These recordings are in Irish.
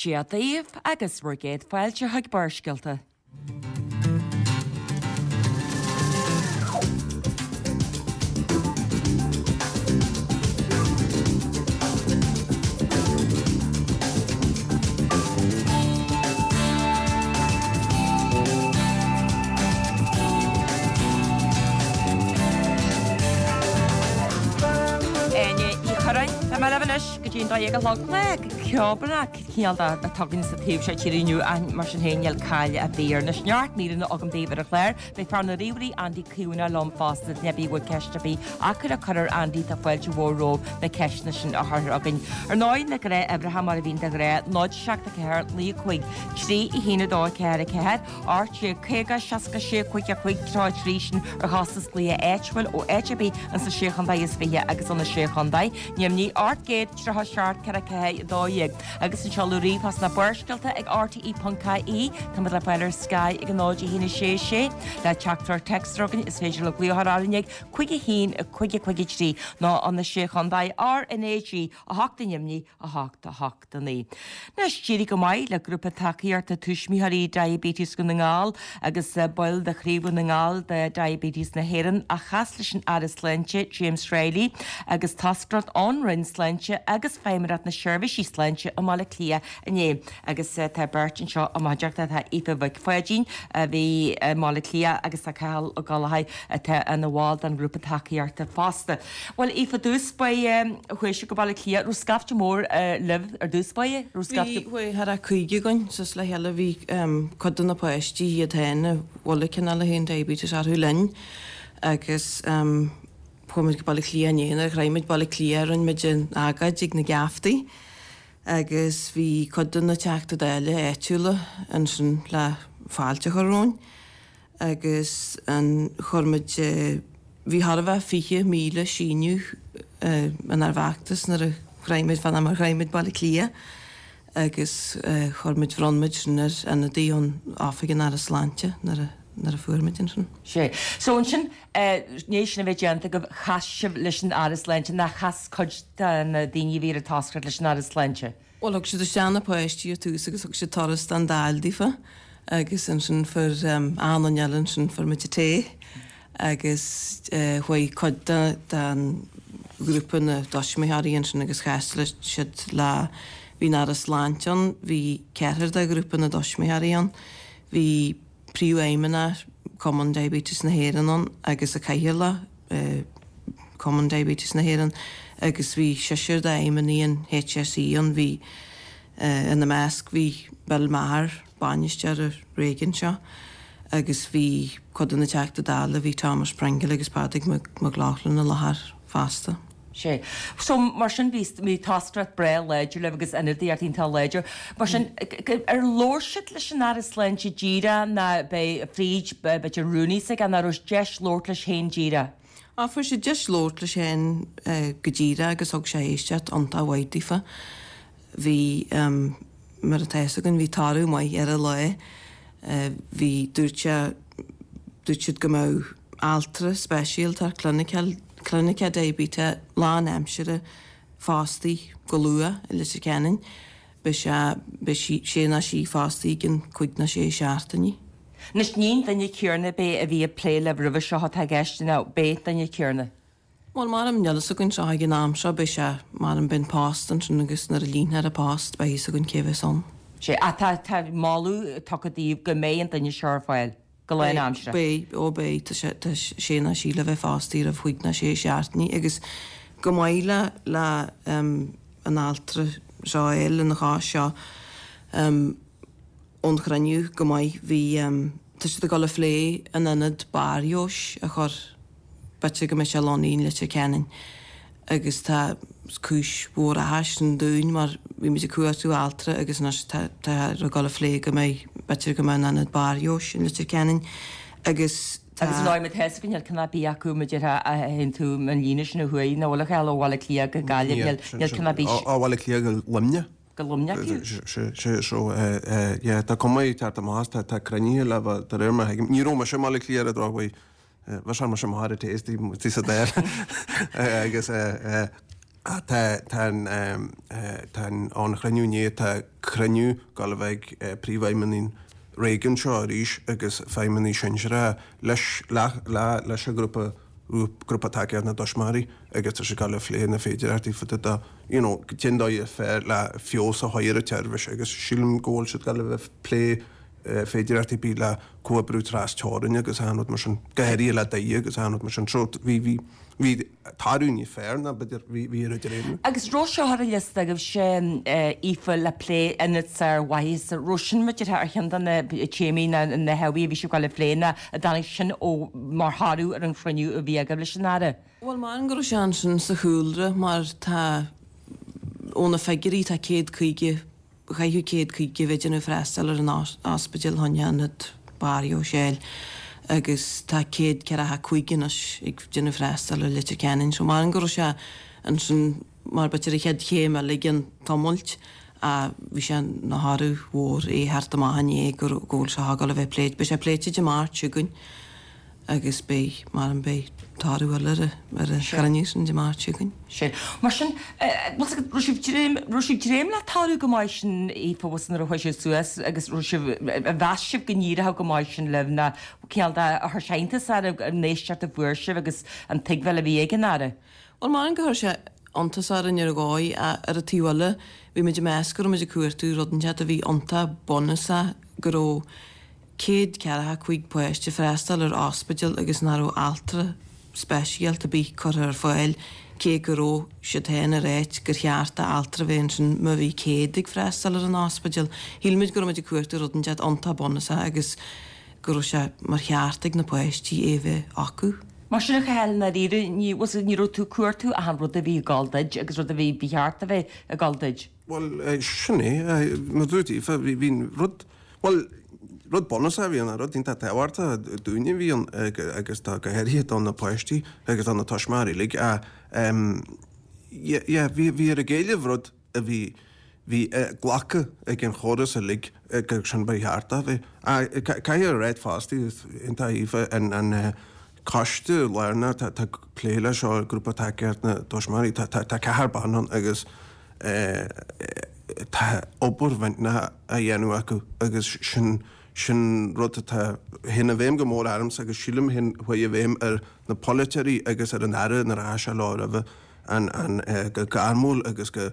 Dia daoibh agus bhur gcéad fáilte chuig Barrscéalta. Áine Ní Churráin, tá mé libh anois go dtí an 12 a chlog. Lá ceobhránach cineál de atá againn sa taobh seo tíre inniu ach mar sin féin níl caill ar bith air. Anois neart míreanna agam daoibh ar an chlár. Beidh fear na ríomhairí Andy Caomhánach liom fosta, duine ar bith a bhfuil ceist ar bith acu le cur ar Andy tá fáilte mhór romhaibh na ceisteanna sin a chur chugainn. Ar ndóigh na gnáthuimhreacha mar a bhíonn de ghnáth, 0 7 4 9 5 3 1 2 4 4, 18 50 66 5 5 33 sin ar chostas glaoch áitiúil ó áit ar bith ins na Sé Chontae is Fiche agus ó na Sé Chontae. Neamhní 837 4 4 12 agus an seoladh ríomhphost ná Barrscéalta ag rte.ie. Táimid le fáil ar Sky ag 0 1 6 6. Le teachtaireacht téacs a chur chugainn is féidir libh glaoch orainn ag 5 1 5 5 3 nó ó na Sé Chontae RnaG 8 i Neamhní 8 8. 9. Anois, d'éirigh go maith le grúpa tacaíochta tuismitheoirí Diabetes Dhún na nGall agus baill de chraobh Dhún na nGall de Diabetes na hÉireann a chas leis an Aire Sláinte James Reilly agus toscaireacht ón Roinn Sláinte agus Feidhmeannacht na Seirbhísí Sláinte i mBaile Átha Cliath inné. Agus tá beirt anseo i mo chuideachta, tá Aoife Mhic Pháidín a bhí i mBaile Átha Cliath agus tá Cathal Ó Gallchóir atá ina bhall den ghrúpa tacaíochta fosta. Bhuel, Aoife, ar dtús báire, chuaigh sibh go Baile Átha Cliath, raibh scaifte mór libh ar dtús báire? Raibh scaifte. Bhí, chuaigh thart ar 50 againn suas le chéile, bhí cuid de na páistí iad féin a bhfuil an cineál a haon diabetes orthu linn agus chuaigh muid go Baile Átha Cliath inné, nuair a shroich muid Baile Átha Cliath rinne muid an agóid ag na geaftaí agus bhí cuid de na Teachtaí Dála áitiúla ansin le fáilte a chur romhainn. agus an chuir muid bhí chóir a bheith 20,000 síniú inár bhfeachtas nuair a shroich muid fán am a shroich muid Baile Átha Cliath agus chuir muid bhronn muid sin ar ionadaí ón Oifig an Aire Sláinte nuair a nuair a fuair muid ansin. Sea. So ansin i ndiaidh sin a bheith déanta agaibh chas sibh leis an Aire Sláinte nó chas cuid de na daoine a bhí ar an toscaireacht leis an Aire Sláinte? Bhuel, thug siad isteach na páistí ar tús agus thug siad turas den Dáil daofa agus ansin fuair achan duine eile ansin fuair muid an tae agus chuaigh cuid de den ghrúpa na dtuismitheoirí ansin agus chas siad le bhí an Aire Sláinte ann, bhí ceathrar de ghrúpa na dtuismitheoirí ann, bhí Príomhfheidhmeannach Cumann Diabetes na hÉireann ann agus an Cathaoirleach Cumann Diabetes na hÉireann agus bhí seisear d'fheidhmeannaigh an HSE ann, bhí ina measc bhí Bill Maher, bainisteoir an réigiúin seo agus bhí cuid de na Teachtaí Dála, bhí Thomas Pringle agus Pádraig Mac Lochlainn i láthair fosta. Sea. So, mar sin, bhí, bhí toscaireacht breá láidir libh agus ionadaíocht iontach láidir. Mar sin, ar labhair siad leis an Aire Sláinte díreach nó b'é fríd, b'fhéidir rúnaí s'aige nó raibh deis labhairt leis féin díreach? Á, fuair siad deis labhairt leis féin go díreach agus thug sé éisteacht iontach mhaith daofa. Bhí, mar atá fhios againn, bhí toradh maith ar an lá. Bhí, dúirt sé, dúirt siad go mbeadh altra speisialta, cliniceach, Clinic Diabetes lánaimseartha fostaithe go luath i Leitir Ceanainn. Beidh sé, beidh sí, sé nó sí fostaithe i gcionn cúig nó sé seachtainí. Anois, ní an duine céarna ab é a bhí ag plé libh roimhe seo atá i gceist, nó ab é an duine céarna? Bhuel, mar níl fhios againn seo ag an am seo, beidh sé, mar beidh an post ansin agus nuair a líonfar an post beidh fhios againn cé bheas ann. Sea, ach tá, tá moladh tugtha daoibh go mbeidh an duine seo ar fáil. go lánaimseartha. Beidh, ó beidh, tá sé, tá sé nó sí le bheith fostaithe roimh chúig nó sé seachtainí agus go maith le, le an altra seo a fháil ina chás seo ón chruinniú go maith bhí, tá siad ag dul a phlé an ionad barrfheabhais a chur B'fhéidir go mbeidh sé lonnaithe in Leitir Ceanainn agus tá cúis mhór áthais sin dúinn mar bhí muid ag cuartú altra agus anois tá tá ag dul a phlé go mbeidh b'fhéidir go mbeidh an ionad barrfheabhais in Leitir Ceanainn agus tá Agus an áit tá fhios againn níl ceann ar bith acu mar a déarfá a théann tú an líne sin ó thuaidh nó bhfuil a Chathail ó Bhaile Átha Cliath go Gaillimh níl níl ceann ar bith Ó Bhaile Átha Cliath go Luimneach. go Luimneach fiú. Sé so yeah tá cuma ag teacht amach tá tá cruinnithe le bheith de réir mar a thuigim ní raibh mise i mBaile Átha Cliath ar an drochuair Bheadh sé mar sin mar a taste sa Dáil agus. Tá tá an tá an an chruinniú inné tá cruinniú ag gabháil a bheith ag príomhfheidhmeannaigh an réigiúin seo arís agus feidhmeannaigh sinsearacha leis le le leis an ghrúpa grúpa tacaíochta na dtuismitheoirí agus tá siad ag gabháil a phlé na féidearthachtaí fá dtaobh de you know cén dóigh is fearr le feabhas a chur ar an tseirbhís agus sílim go bhfuil siad ag gabháil a bheith ag plé féidearthachtaí ar bith le comhoibriú tras teorainn agus achan rud mar sin go háirithe le Doire agus achan rud mar sin so bhí bhí Bhí toradh níos fearr ná b'fhéidir bhí ar idir aon. Agus raibh seo ar an liosta agaibhse, Aoife, le plé ionad sármhaitheasa, raibh sin b'fhéidir ar cheann de na téamaí ná na hábhair a bhí sibh ag gabháil a phlé nó an dtáinig sin ó mar thoradh ar an chruinniú a bhí agaibh leis an Aire? Bhuel, maram go raibh sé ansin sa chúlra mar tá, ó na figiúirí, tá 150 Chaithfeadh 150 a bheith ag déanamh freastal ar an ospidéal chun ionad Barr Sheil agus tá 145 anois ag déanamh freastal ar Leitir Ceanainn. So maram go raibh sé ansin mar b'fhéidir an chéad chéim eile den iomairt ach bhí sé ina thoradh mhór é theacht amach inné go bhfuil sé ag gabháil a bheith pléite. Beidh sé pléite Dé Máirt seo chugainn. agus beidh, maram beidh toradh eile ar ar an chruinniú sin Dé Máirt seo chugainn. Sin. Mar sin, raibh sibh dréim, raibh sibh dréim le toradh go maith sin, Aoife, bhfuil nuair a chuaigh sibh suas agus raibh sibh, mheas sibh go n-éireodh go maith sin libh nó cineál de chuir sé iontas oraibh an éisteacht a fuair sibh agus an tuigbheáil a bhí ag an Aire? Bhuel, maram gur chuir sé iontas orainn ar dhóigh ach ar an taobh eile bhí muid ag meas go raibh muid ag cuartú rud inteacht a bhí iontach bunúsach go raibh 145 páiste freastal ar ospidéal agus nach raibh altra speisialta ar bith curtha ar fáil cé go raibh siad féin ag ráit gur cheart d'altra bheith ansin má bhí 100 ag freastal ar an ospidéal. Shíl muid go raibh muid ag cuartú rud inteacht iontach bunúsach agus go raibh sé mar cheart ag na páistí é bheith acu. Mar sin a Chathail, i ndáiríre, ní, ní raibh tú ag cuartú ach an rud a bhí ag gabháil duit agus rud a bhí, ba cheart a bheith ag gabháil duit. Bhuel, sin é. Mar a dúirt Aoife, bhí an rud, bhuel, rud bunúsach a bhí ann, rud iontach tábhachtach dúinne a bhí ann agus do, go háirithe do na páistí agus do na tuismitheoirí uilig. Yeah, bhí, bhíothar ag éileamh rud a bhí, bhí glactha ag an chóras uilig gur sin ba cheart a bheith. Caithfidh a ráit fosta, iontach Aoife, an, an coiste lárnach atá ag plé leis seo, Grúpa Tacaíochta na dTuismitheoirí, tá, tá ceathrar ban ann agus, Tá obair mhillteanach á dhéanamh acu agus sin sin rud atá théann i bhfeidhm go mór ormsa agus sílim théann chuaigh i bhfeidhm ar na polaiteoirí agus ar an Aire nuair a chaith sé leo roimhe an an go gairmiúil agus go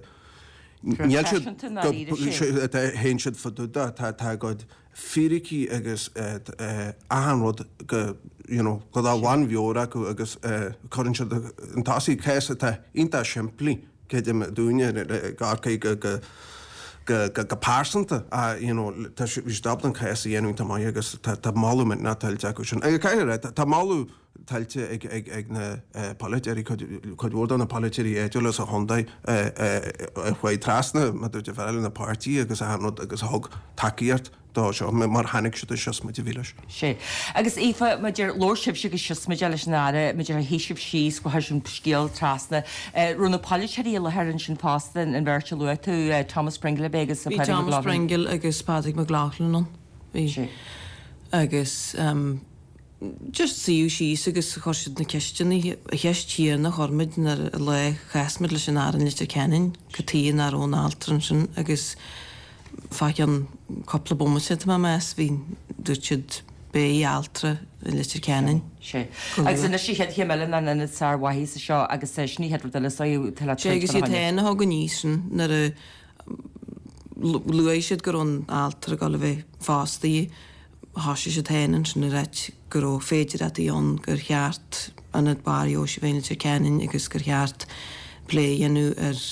níl siad go théann siad fá dtaobh de tá tá a gcuid fíricí agus achan rud go you know go dá bhunmheabhair acu agus cuireann siad chun tosaigh cás atá iontach simplí creidim dúinne i gCorcaigh go go go go pearsanta you know tá bhí siad ábalta an cás a dhéanamh iontach maith agus tá tá moladh millteanach tuillte acu sin. Agus caithfidh a rá tá moladh tuillte ag na polaiteoirí, cuid mhór de na polaiteoirí áitiúla sa chontae a chuaigh trasna, mar a dúirt an fear eile, na páirtithe agus achan rud agus a thug tacaíocht dó seo mar chonaic siad an siosmaid a bhí leis. Sea. Agus Aoife, maidir, labhair sibhse go siosmaideach leis an Aire, maidir, shuigh sibh síos, chuaigh an scéal trasna. Raibh na polaiteoirí i láthair ansin fosta, an bheirt a luaigh tú, Thomas Pringle ab é agus Bhí Pádraig Thomas McLaughlin. Pringle agus Pádraig McLaughlin ann. Bhí. Sea. Agus. Just suíodh síos agus chuir siad na ceisteanna, an cheist chéanna a chuir muid nuair an lá a chas muid leis an Aire in Leitir Ceanainn, cad chuige nach raibh an altra ansin agus fá cheann cúpla bomaite tá mé ag meas, bhí, dúirt siad beidh altra i Leitir Ceanainn. Sea. Agus anois an chéad chéim eile ná an ionad sármhaitheasa seo agus sin an chéad rud eile is dóigh atá le Sea agus iad féin a thug aníos sin nuair a luaigh siad go raibh an altra ag dul a bheith fostaithe. Thoisigh siad féin ansin ag ráit go raibh féidireachtaí ann gur cheart ionad barr fheabhais a bheith in Leitir Ceanainn agus gur cheart plé a dhéanamh ar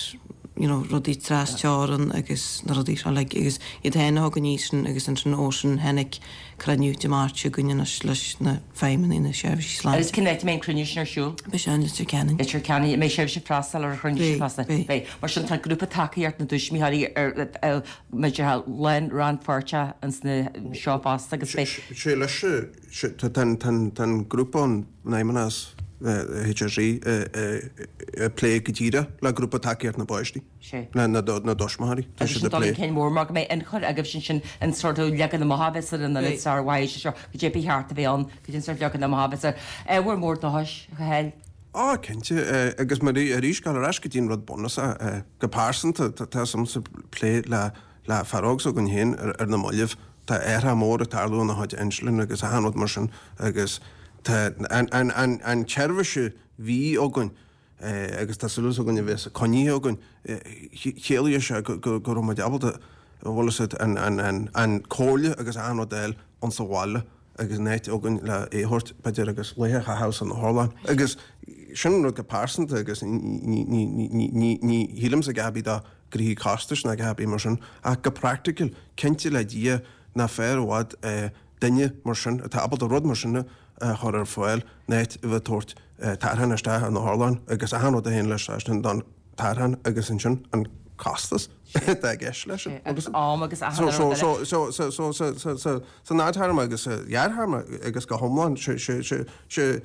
you know rudaí tras teorann agus na rudaí seo uilig agus iad féin a thug aníos sin agus ansin ó sin tháinig cruinniú Dé Máirt seo chugainn anois leis na feidhmeannaigh na seirbhísí sláinte. Agus cén áit a mbeidh an cruinniú sin ar siúl? Beidh sé in Leitir Ceanainn. Leitir Ceanainn. An mbeidh sibhse ag freastal ar an chruinniú sin fosta? Beidh, beidh. Mar sin tá grúpa tacaíocht na dtuismitheoirí ar Muid lán rannpháirteach ins na seo fosta agus beidh. Sé leis tá an grúpa an Fheidhmeannas HSE ag plé go díreach le grúpa tacaíocht na bpáistí, na dtuismitheoirí. Tá siad ag plé. Agus sin dul chun cinn mór mar go mbeidh ionchur agaibhse ansin an sort of leagan amach a bheas ar an ionad sármhaitheasa seo, cad é ba cheart a bheith ann, cad é an sort leagan amach a bheas air. Ábhar mór dóchais, a Chathail. Á, cinnte, agus mar arís, gabháil ar ais go dtí an rud bunúsach, go pearsanta, tá a fhios agamsa plé le le fear óg s'againn féin ar na mallaibh, tá athrá mór ag tarlú ina chuid inslin agus achan rud mar sin agus tá an an an an tseirbhís a bhí againn agus tá súil againn a bheas coinnithe againn, chiallaigh sé go go go raibh muid ábalta, bhfuil a fhios agat, an an an an comhairle agus achan rud a fháil insa bhaile. agus an áit againn le é a thabhairt, b'fhéidir, agus laethe a chaitheamh san otharlann. Agus sin an rud go pearsanta agus ní shílimse a dhath ar bith do ghnoithí costais ná a dhath ar bith mar sin, ach go praiticiúil, cinnte le Dia nach fearr i bhfad duine mar sin atá ábalta rud mar sin a chur ar fáil ná a bheith ag tabhairt tarrtháin isteach in otharlann agus achan rud a théann leis sin don tarrtháin agus ansin an costas atá i gceist leis sin. Agus am agus achan rud eile. So, so, so, so, so, so, san fhadthéarma agus sa ghearrthéarma agus go hiomlán, sé, sé, sé, sé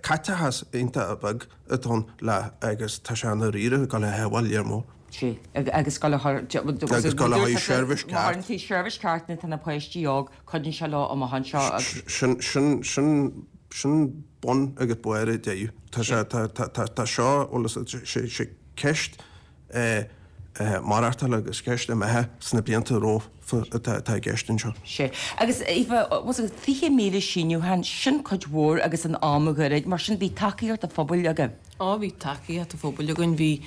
caiteachas iontach beag atá ann le agus tá sé i ndáiríre ag dul a shábháil lear mór. Sé, agus dul a chur, Agus dul le haghaidh seirbhís ceart. Má chuireann tú seirbhís ceart nuair atá na páistí óg, cuidíonn sé leo amach anseo agus. Sin, sin, sin, sin bun agus barr an deireadh. Tá sé, tá, tá, tá, tá seo, bhuel is, sé, sé ceist maireachtála agus ceist imithe sna blianta romhainn atá, atá i gceist anseo. Sé. Agus Aoife, was it 20,000 síniúchán, sin cuid mhór agus in am ghairid, mar sin bhí tacaíocht an phobail agaibh. Á bhí tacaíocht an phobail againn, bhí,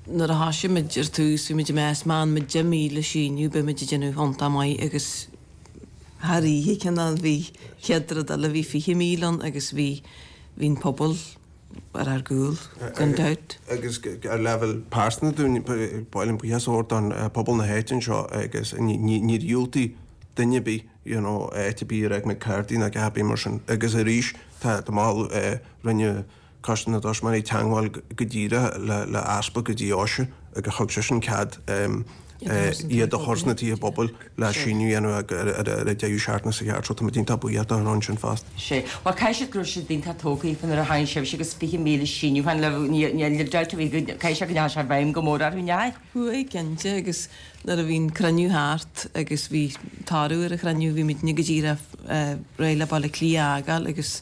nuair a thoisigh muid ar tús bhí muid ag meas má fhaigheann muid 10,000 síniú beidh muid ag déanamh iontach maith agus thar oíche cineál bhí chéad rud eile bhí 20,000 ann agus bhí, bhí an pobal ar ár gcúl gan dabht. Agus ar leibhéal pearsanta dúinn, ba mhaith linn buíochas a thabhairt don pobal na háite anseo agus níor dhiúltaigh duine ar bith you know áit ar bith ar fhág muid cártaí ná a dhath ar bith mar sin agus arís tá moladh rinne Coiste na dTuismitheoirí teagmháil go díreach le easpag an deoise agus thug seisean cead iad a chur sna tithe pobail le síniú a dhéanamh ar an deireadh seachtaine seo chugainn so tá muid iontach buíoch dó sin fosta. Sea. Bhuel, caithfidh siad go raibh siad iontach tógtha faoi nuair a tháinig sibhse agus 20,000 síniúchán le níl dabht ar bith go caithfidh sé go ndeachaigh sé i bhfeidhm go mór orthu, ndeachaigh? Chuaigh, cinnte, agus nuair a bhí an cruinniú thart agus bhí toradh ar an chruinniú, bhí muidne go díreach réidh le Baile Átha Cliath a fhágáil agus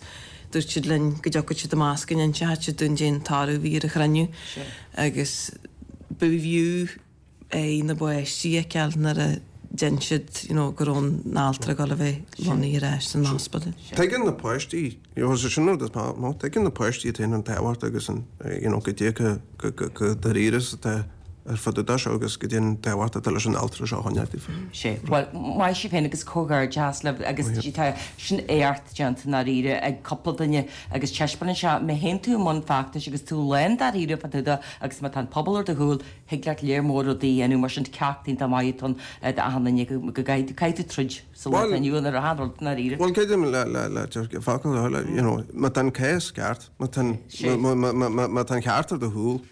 dúirt siad linn go dtiocfadh siad amach go n-inseodh siad dúinn cén toradh a bhí ar an chruinniú agus b'fhiú é na páistí a fheiceáil nuair a d'inis siad you know go raibh an altra ag dul a bheith lonnaithe ar ais san ospidéal. Tuigeann na páistí, you know, sin rud is mó, tuigeann na páistí iad féin an tábhacht agus an, you know, goidé go, go, go, go dáiríre is atá ar fud an seo agus goidé an tábhacht atá leis an altra seo a choinneáil daofa. Sea. Bhuel, maith sibh féin agus comhghairdeas libh agus tá sin éacht déanta i ndáiríre ag cúpla duine agus taispeánann sé má théann tú i mbun feachtais agus tú lán dáiríre fá dtaobh de agus má tá an pobal ar do chúl, thig leat léar mór rudaí a dhéanamh mar sin ceacht iontach maith atá ann d'achan duine go gcaithfidh tú troid sa lá atá inniu ann ar achan rud i ndáiríre. Bhuel, creidim le, le, le, focal a you know, má tá an cás ceart, má tá an, má tá an ceart ar do chúl,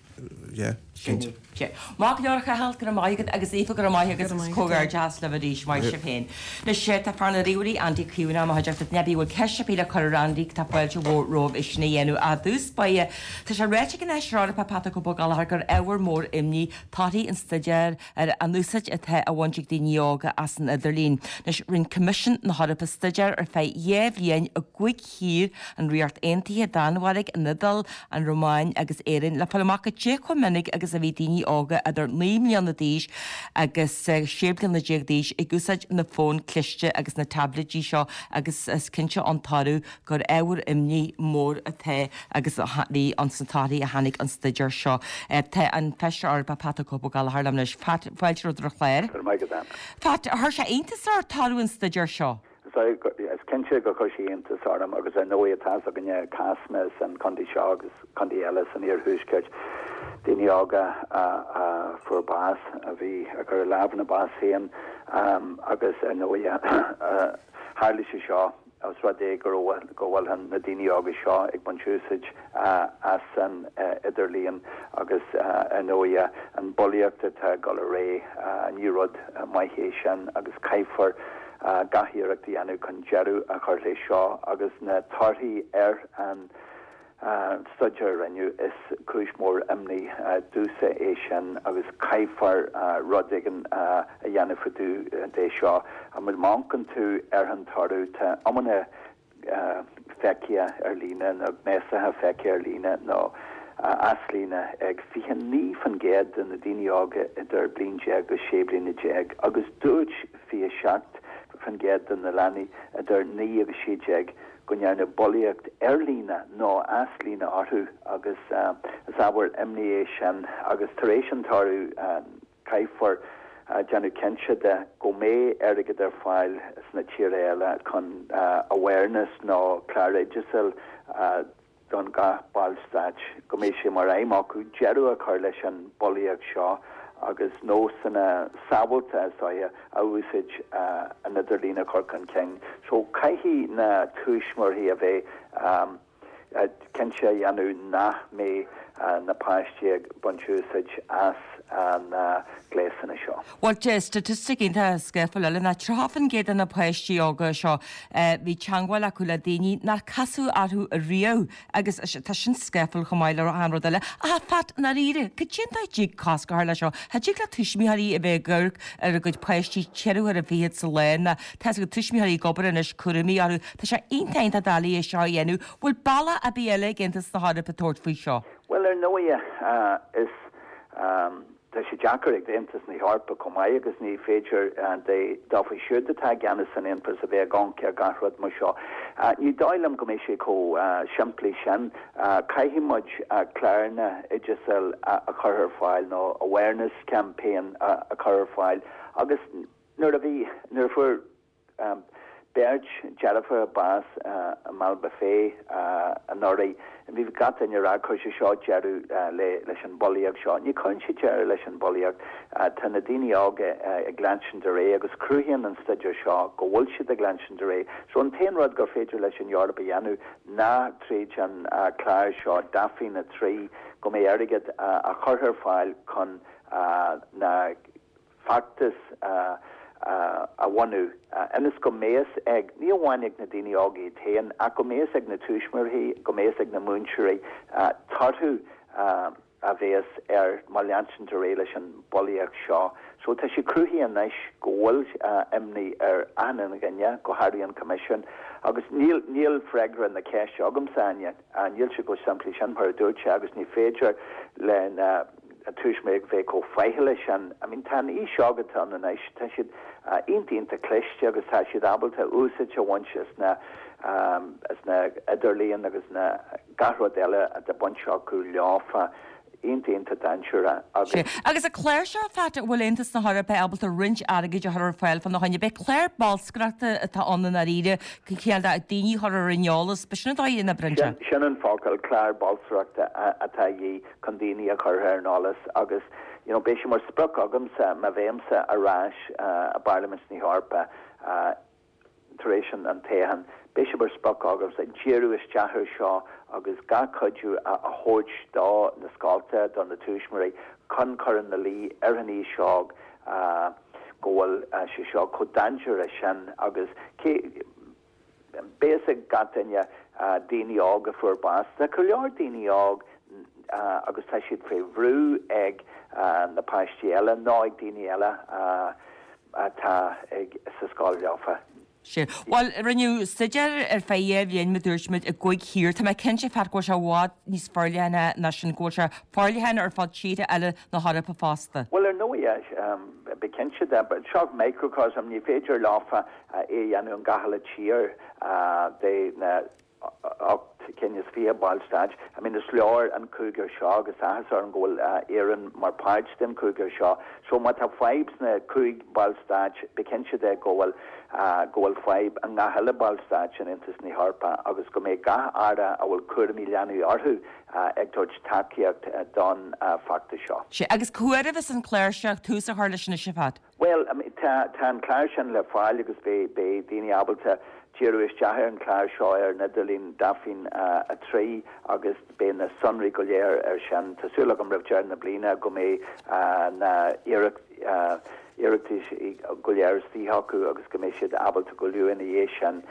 yeah, cinnte. Sea. Maith go leor a Chathail, go raibh maith agat agus Aoife go raibh maith agat agus comhghairdeas libh arís, maith sibh féin. Anois tá fear na ríomhairí Andy Caomhánach i mo chuideachta, duine ar bith a bhfuil ceist ar bith le cur ar Andy tá fáilte mhór romhaibh é sin a dhéanamh. I dtús báire, tá sé ráite ag an Fheisire Eorpach Patrick Ó Gallchóir gur ábhar mór imní torthaí an staidéir ar an úsáid atá á bhaint ag daoine óga as an idirlíon. Anois rinne Coimisiún na hEorpa staidéar ar feadh 2 bhliain i gcúig thír, an Ríocht Aontaithe, Danmhairg, an Iodáil, an Rómáin agus Éirinn, le fáil amach goidé chomh minic agus a bhí daoine óga idir 9 mbliana d'aois agus 16 bliana d'aois ag úsáid na bhfón cliste agus na taibléidí seo agus is cinnte ón toradh gur ábhar imní mór atá agus a bhí ann sna torthaí a tháinig ón staidéar seo. Tá an Feisire Eorpach Pat the Cope Ó Gallchóir liom anois. Pat, fáilte romhat ar an chlár. Go raibh maith agat, Ann. Pat, chuir sé iontas ort toradh an staidéir seo? Is cinnte gur chuir sé iontas orm agus ar ndóigh tá fhios againne cásanna san contae seo agus contae eile san iarthuaisceart, daoine óga a fuair bás, a bhí ag cur a lámh ina bás féin agus ar ndóigh tharla sé seo os rud é go raibh, go bhfuil na daoine óga seo ag baint úsaid as an idirlíon agus ar ndóigh an bulaíocht atá ag dul ar aghaidh, ní rud maith é sin agus caithfear gach iarracht a dhéanamh chun deireadh a chur leis seo agus na torthaí ar an staidéar a rinneadh, is cúis mhór imní domhsa é sin agus caithfear rud éigin a dhéanamh fá dtaobh de seo. Má amharcann tú ar an toradh, tá iomarca. feicthe ar líne nó gnéasaithe feicthe ar líne nó as líne ag 29% de na daoine óga idir bliain déag agus 16 bliana agus dúirt 27% de na leanaí idir 9 agus 16 go ndearnadh bulaíocht ar líne nó as líne orthu agus is ábhar imní é sin agus tar éis an toradh caithfear déanamh cinnte de go mbeidh airgead ar fáil sna tíortha eile chun awareness nó clár oideasail don gach ballstáit go mbeidh sé mar aidhm acu deireadh a chur leis an bulaíocht seo agus nósanna sábháilte is dóiche a úsáid an idirlíon a chur chun cinn. So caithfidh na tuismitheoirí a bheith cinnte a dhéanamh nach mbeidh na páistí ag baint úsáid as na gléasanna seo. Bhuel, staitistic iontach scáfúil eile ná 30% de na páistí óga seo, bhí teangmháil acu le daoine nár casadh orthu riamh agus tá sin scáfúil chomh maith le achan rud eile. Ach a Phat, i ndáiríre, cad é an dóigh a dtig cosc a chur leis seo? Cha dtig le tuismitheoirí a bheith ag amharc ar a gcuid páistí ceithre huaire fichead sa lá ná tá a fhios agat tuismitheoirí ag obair anois, cúraimí orthu. Tá sé iontach iontach doiligh é seo a dhéanamh. Bhfuil bealach ar bith eile ag Aontas na hEorpa tabhairt faoi seo? Bhuel, ar ndóighe, is tá sé deacair ag Aontas na hEorpa chomh maith agus ní féidir dófa siúd atá i gceannas san Aontas a bheith ag amharc ar gach rud mar seo. Ní dóigh liom go mbeidh sé chomh simplí sin. Caithfidh muid cláranna oideasail a chur ar fáil nó awareness campaign a chur ar fáil agus nuair a bhí, nuair a fuair Beirt deirfiúr bás i mBallybofey anuraidh. Bhí gach duine ag rá chuir sé seo deireadh leis an bhulaíocht seo. Ní chuireann sé deireadh leis an bhulaíocht. Tá na daoine óga ag leanstan ar aghaidh agus cruthaíonn an staidéar seo go bhfuil siad ag leanstan ar aghaidh. So an t-aon rud gur féidir leis an Eoraip a dhéanamh ná tríd an clár seo Daphne 3 go mbeidh airgead á chur ar fáil chun na feachtas a bhunú ionas go mbeidh fhios ag, ní amháin ag na daoine óga iad féin, ach go mbeidh fhios ag na tuismitheoirí, go mbeidh fhios ag na múinteoirí torthaí a bheas ar má leanann ar aghaidh leis an bhulaíocht seo. So tá sé cruthaithe anois go bhfuil imní ar achan dhuine, go háirithe an Coimisiún, agus níl, níl freagra na ceiste agamsa, Áine. Níl sé chomh simplí sin mar a dúirt sé agus ní féidir le na tuismitheoirí bheith chomh faichilleach sin. I mean tá an aois óg atá ann anois, tá siad iontach iontach cliste agus tá siad ábalta úsáid a bhaint as na as na idirlíon agus na gach rud eile atá baint acu leofa iontach iontach dainséarach agus. Sea. Agus an clár seo, Pat, an bhfuil Aontas na hEorpa ábalta roinnt airgid a chur ar fáil fána choinne? B'é clár bolscaireachta atá ann i ndáiríre, cineál de daoine a chur ar an eolas, b'shin an dóigh a n-oibríonn sé. Sin an focal, clár bolscaireachta atá a dhíth. chun daoine a chur ar an eolas agus you know beidh sé mar sprioc agamsa má bheimse ar ais i bParlaimint na hEorpa tar éis an toghcháin, beidh sé mar sprioc agamsa díriú isteach ar seo agus gach cuidiú a thabhairt do na scolta, do na tuismitheoirí chun cur ina luí ar an aois óg go bhfuil sé seo chomh dainséarach sin agus cé Beidh fhios ag gach duine daoine óg a fuair bás. Tá go leor daoine óg agus tá siad faoi bhrú ag na páistí eile nó ag daoine eile atá sa scoil leofa. Sea. Bhuel, rinneadh staidéar ar feadh dhá bhliain, mar a dúirt muid, i gcúig thír. Tá mé cinnte, Pat, go bhfuil sé i bhfad níos forleithne ná sin, go bhfuil sé forleathan ar fud tíortha eile na hEorpa fosta. Bhuel, ar ndóigh, bí cinnte de, seo microcosm, ní féidir leofa é a dhéanamh in gach uile tír de na 28 ballstáit. I mean is leor an cúigear seo agus áthas orm go bhfuil Éirinn mar páirt den cúigear seo. So má tá fadhb sna cúig ballstáit bí cinnte de go bhfuil go bhfuil fadhb i ngach uile ballstáit in Aontas na hEorpa agus go mbeidh gach aire a bhfuil cúraimí leanaí orthu ag tabhairt tacaíocht don feachtas seo. Sea, agus cá huair a bheas an clár seo tús a chur leis anois a Phat? Bhuel, tá tá an clár sin le fáil agus beidh beidh daoine ábalta díriú isteach ar an chlár seo ar an idirlíon Daphne 3 agus beidh na sonraí go léir ar sin. Tá súil agam roimh deireadh na bliana go mbeidh na iarratais go léir istigh acu agus go mbeidh siad ábalta go luath ina dhiaidh sin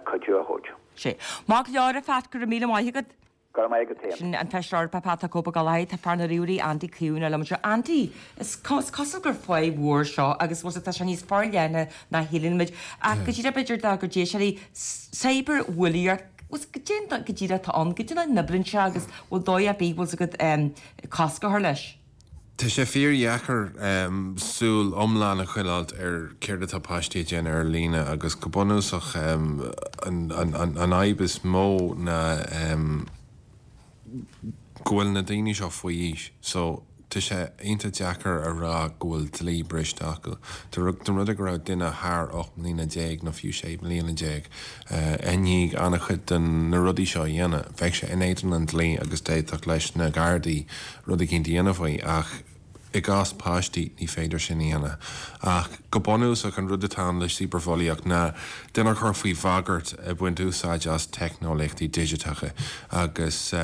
cuidiú a thabhairt. Sea. Maith go leor a Phat, go raibh míle maith agat. Go raibh maith agat féin. Sin an Feisire Eorpach Pat the Cope Ó Gallchóir. Tá fear na ríomhairí Andy Keown liom anseo. Andy, is cosúil gur fadhb mhór seo agus bhfuil tá sé níos forleithne ná shíleann muid. Ach go díreach b'fhéidir dár gcuid éisteoirí, cyberbhulaíocht. Bhfuil goidé go díreach atá ann, goidé mar a n-oibríonn sé agus bhfuil dóigh ar bith, bhfuil 's agat cosc a chur leis? Tá sé fíordheacair súil iomlán a choinneáilt ar céard atá páistí ag déanamh ar líne agus go bunúsach an fhadhb is mó ná go bhfuil na daoine seo faoi aois so tá sé iontach deacair a rá go bhfuil dlí briste acu. Dá mba rud é go raibh duine thar 18 mbliana nó fiú 16 mbliana i ndiaidh an-chuid de na rudaí seo a dhéanamh, bheadh sé in éadan an dlí agus d'fhéadfadh leis na Gardaí rud eicínt a dhéanamh faoi ach i gcás páistí ní féidir sin a dhéanamh. Ach go bunúsach an rud atá ann le cibearbhulaíocht ná duine a chur faoi bhagairt ag baint úsáid as teicneolaíochtaí digiteacha agus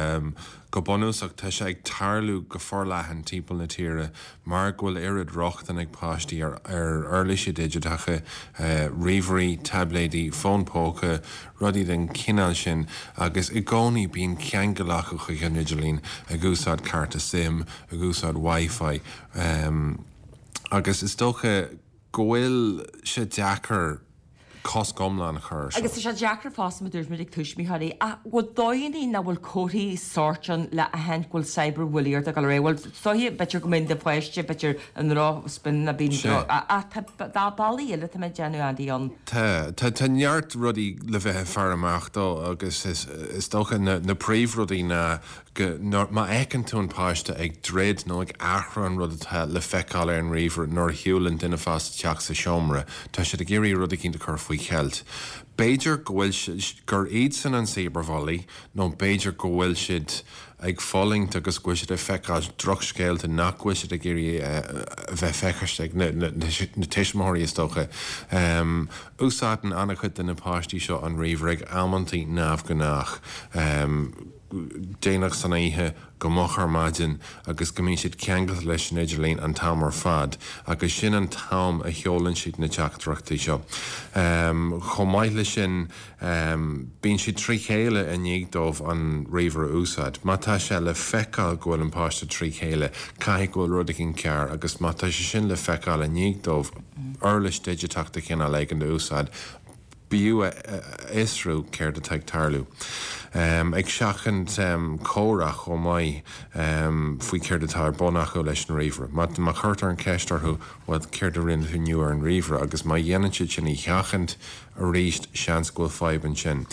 go bunúsach tá sé ag tarlú go forleathan timpeall na tíre Mar go bhfuil oiread rochtain ag páistí ar uirlisí digiteacha, ríomhairí, taibléidí, fóin póca, rudaí den chineál sin, agus i gcónaí bíonn ceangal acu chuig an idirlíon, ag úsáid cárta sim, ag úsáid Wi-Fi, agus is dócha go bhfuil sé deacair cosc iomlán a chur air seo. Agus tá sé deacair fosta, mar a dúirt muid, ag tuismitheoirí, ach bhfuil dóigheanna nó bhfuil comharthaí sóirt ann le aithint go bhfuil cyberbhulaíocht ag dul ar aghaidh? Bhuel, is dóiche, b'fhéidir go mbíonn do pháiste, b'fhéidir, i ndroch-spin nó bíonn droch, ach tá, tá bealaí eile atá mé ag déanamh, Andy, ann. Tá, tá, tá neart rudaí le bheith ag faire amach dó agus is, is dócha na, na príomhrudaí ná go, má fheiceann tú an páiste ag druid nó ag athrú an rud atá le feiceáil ar an ríomhaire nuair a shiúlann duine fásta isteach sa seomra, tá siad ag iarraidh rud eicínt a chur faoi cheilt. B'fhéidir go bhfuil siad, gur iadsan an cyberbhully nó b'fhéidir go bhfuil siad ag fulaingt agus go bhfuil siad ag feiceáil drochscéalta nach bhfuil siad ag iarraidh a bheith feicthe ag na tuismitheoirí is dócha. Úsáideann an-chuid de na páistí seo an ríomhaire ag amantaí neamhghnách. déanach san oíche go moch ar maidin agus go mbíonn siad ceangailte leis an idirlíon an t-am ar fad agus sin an t-am a sheolann siad na teachtaireachtaí seo. Chomh maith leis sin, bíonn siad trí chéile i ndiaidh dóibh an ríomhaire a úsáid. Má tá sé le feiceáil go bhfuil an páiste trí chéile, caithfidh go bhfuil rud éigin cearr agus má tá sé sin le feiceáil i ndiaidh dóibh uirlis digiteach de chineál éigin a úsáid, B'fhiú a fhiosrú céard atá ag tarlú. Ag seachaint comhrá chomh maith faoi céard atá ar bun acu leis an ríomhaire. Má chuirtear an cheist orthu, bhuel, céard a rinne tú inniu ar an ríomhaire? agus má dhéanann siad sin a sheachaint arís, seans go bhfuil fadhb ansin.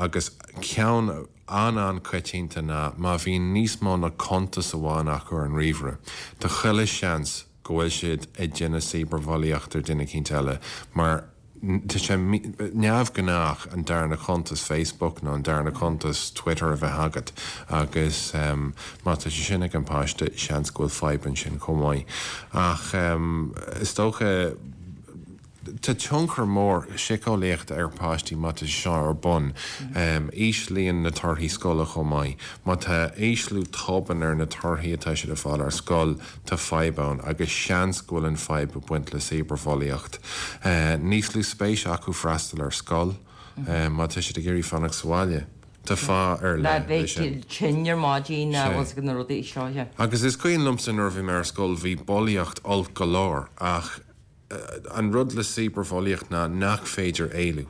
Agus ceann an-an-choitianta ná má bhíonn níos mó ná cuntas amháin acu ar an ríomhaire, tá chuile sheans go bhfuil siad ag déanamh cibearbhulaíocht ar duine eicínt eile mar tá sé neamhghnách an darna cuntas Facebook nó an darna cuntas Twitter a bheith agat agus má tá sé sin ag an páiste seans go bhfuil fadhb ansin chomh maith. Ach is dócha. Tá tionchar mór síceolaíochta ar pháistí má tá sé seo ar bun. Íslíonn na torthaí scoile chomh maith. Má tá ísliú tobann ar na torthaí atá siad ag fáil ar scoil, tá fadhb ann agus seans go bhfuil an fadhb ag baint le cibearbhulaíocht. Níos lú spéise acu freastal ar scoil má tá siad ag iarraidh fanacht sa bhaile. Tá fáth ar leith leis sin. Bheith tinn ar maidin agus na rudaí seo. Agus is cuimhin liomsa nuair a bhí mé ar scoil bhí bulaíocht olc go leor ach An rud le cibearbhulaíocht ná nach féidir éalú.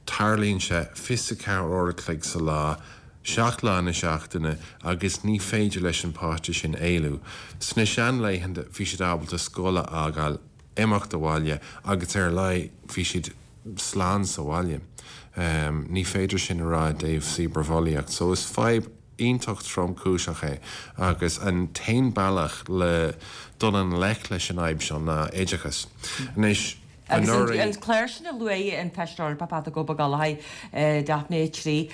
Tarlaíonn sé 24 uair a chloig sa lá, 7 lá na seachtaine agus ní féidir leis an páiste sin éalú. Sna seanlaethanta bhí siad ábalta scoil a fhágáil, imeacht abhaile agus ar a laghad bhí siad slán sa bhaile. Ní féidir sin a rá i dtaobh cibearbhulaíocht. So is fadhb iontach tromchúiseach é agus an t-aon bealach le dul i ngleic leis an fhadhb seo ná oideachas. Anois, Agus an clár sin a luaigh an Feisire Eorpach Pat the Cope Ó Gallchóir, Daphne 3,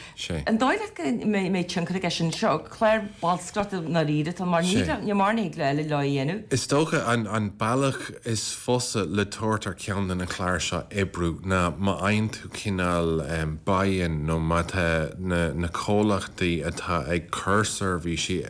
an dóigh leat go mbeidh tionchar aige sin? Seo clár bolscaireachta i ndáiríre atá ann mar níl mórán eile leo a dhéanamh. Is dócha an bealach is fusa le tabhairt ar ceann de na cláir seo oibriú ná má fhaigheann tú cineál buy-in nó má tá na comhlachtaí atá ag cur seirbhísí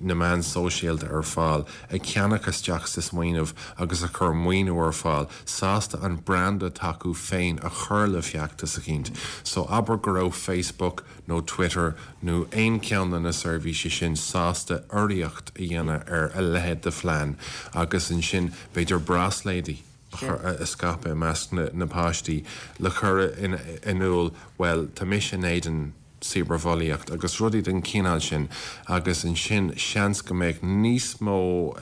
na meán sóisialta ar fáil ag ceannach isteach sa smaoineamh agus ag cur maoiniú ar fáil, sásta an branda atá acu féin a chur le feachtas eicínt. So abair go raibh Facebook nó Twitter nó aon cheann de na seirbhísí sin sásta urraíocht a dhéanamh ar a leithéid de phlean agus ansin b'fhéidir bráisléidí. a scaipeadh i measc na páistí le cur in iúl, bhuel, tá mise in éadan cibearbhulaíocht agus rudaí den chineál sin agus ansin seans go mbeadh níos mó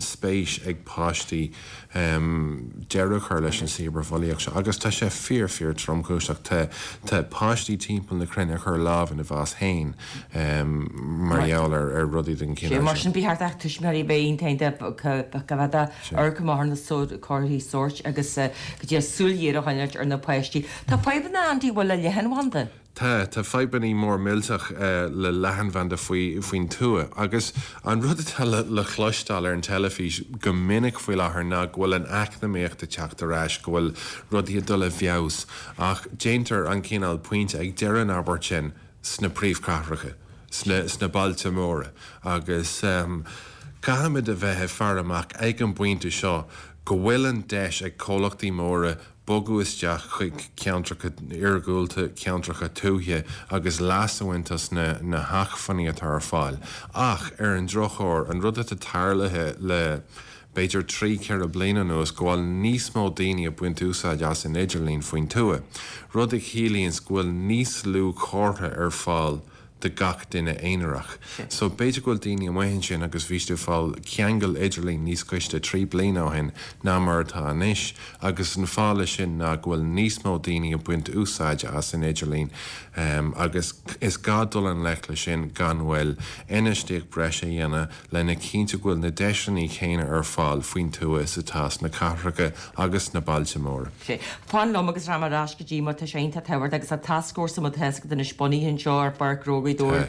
spéis ag páistí deireadh a chur leis an cibearbhulaíocht seo agus tá sé fíor fíor tromchúiseach. Tá tá páistí timpeall na cruinne ag cur lámh ina bhás féin mar gheall ar ar rudaí den chineál Mar sin. sin ba cheart do tuismitheoirí bheith iontach coimheádach amharc amach ar na comharthaí sóirt agus go dtí súil ghéar a choinneáilt ar na páistí. Tá fadhbanna Andy bhfuil le leathanbhanda. Tá, tá fadhbannaí mór millteach le leathanbhanda faoi, faoin tuath. Agus an rud atá le, le cloisteáil ar an teilifís go minic faoi láthair ná go bhfuil an eacnamaíocht ag teacht ar ais, go bhfuil rudaí ag dul i bhfeabhas. Ach déantar an cineál pointe ag deireadh an abairt sin sna príomhchathracha, sna, sna bailte móra. Agus caithfimid a bheith ag faire amach ag an bpointe seo go bhfuil an deis ag comhlachtaí móra bogadh isteach chuig ceantracha iargúlta, ceantracha tuaithe agus leas a bhaint as na na hacmhainní atá ar fáil. Ach, ar an drochuair, an rud atá tarlaithe le b'fhéidir 3, 4 bliana anuas go bhfuil níos mó daoine ag baint úsáid as an idirlíon faoin tuath, rud a chiallaíonns go bhfuil níos lú comhartha ar fáil do gach duine aonarach. So b'fhéidir go bhfuil daoine amuigh ansin agus bhí siad ag fáil ceangal idirlín níos gaiste 3 bliana ó shin ná mar atá anois agus an fáth leis sin ná go bhfuil níos mó daoine ag baint úsáide as an idirlíon agus is gá dul i ngleic leis sin gan mhoill, infheistíocht breise a dhéanamh lena chinntiú go bhfuil na deiseanna céanna ar fáil faoin tuath is atá sna cathracha agus sna bailte móra. Sea. Fan liom agus rachaidh mé ar ais go dtí mar tá sé iontach tábhachtach agus tá tascfhórsa mar tá a fhios agat anois bunaithe anseo ar Pháirc Ghnó Ghaoth Dobhair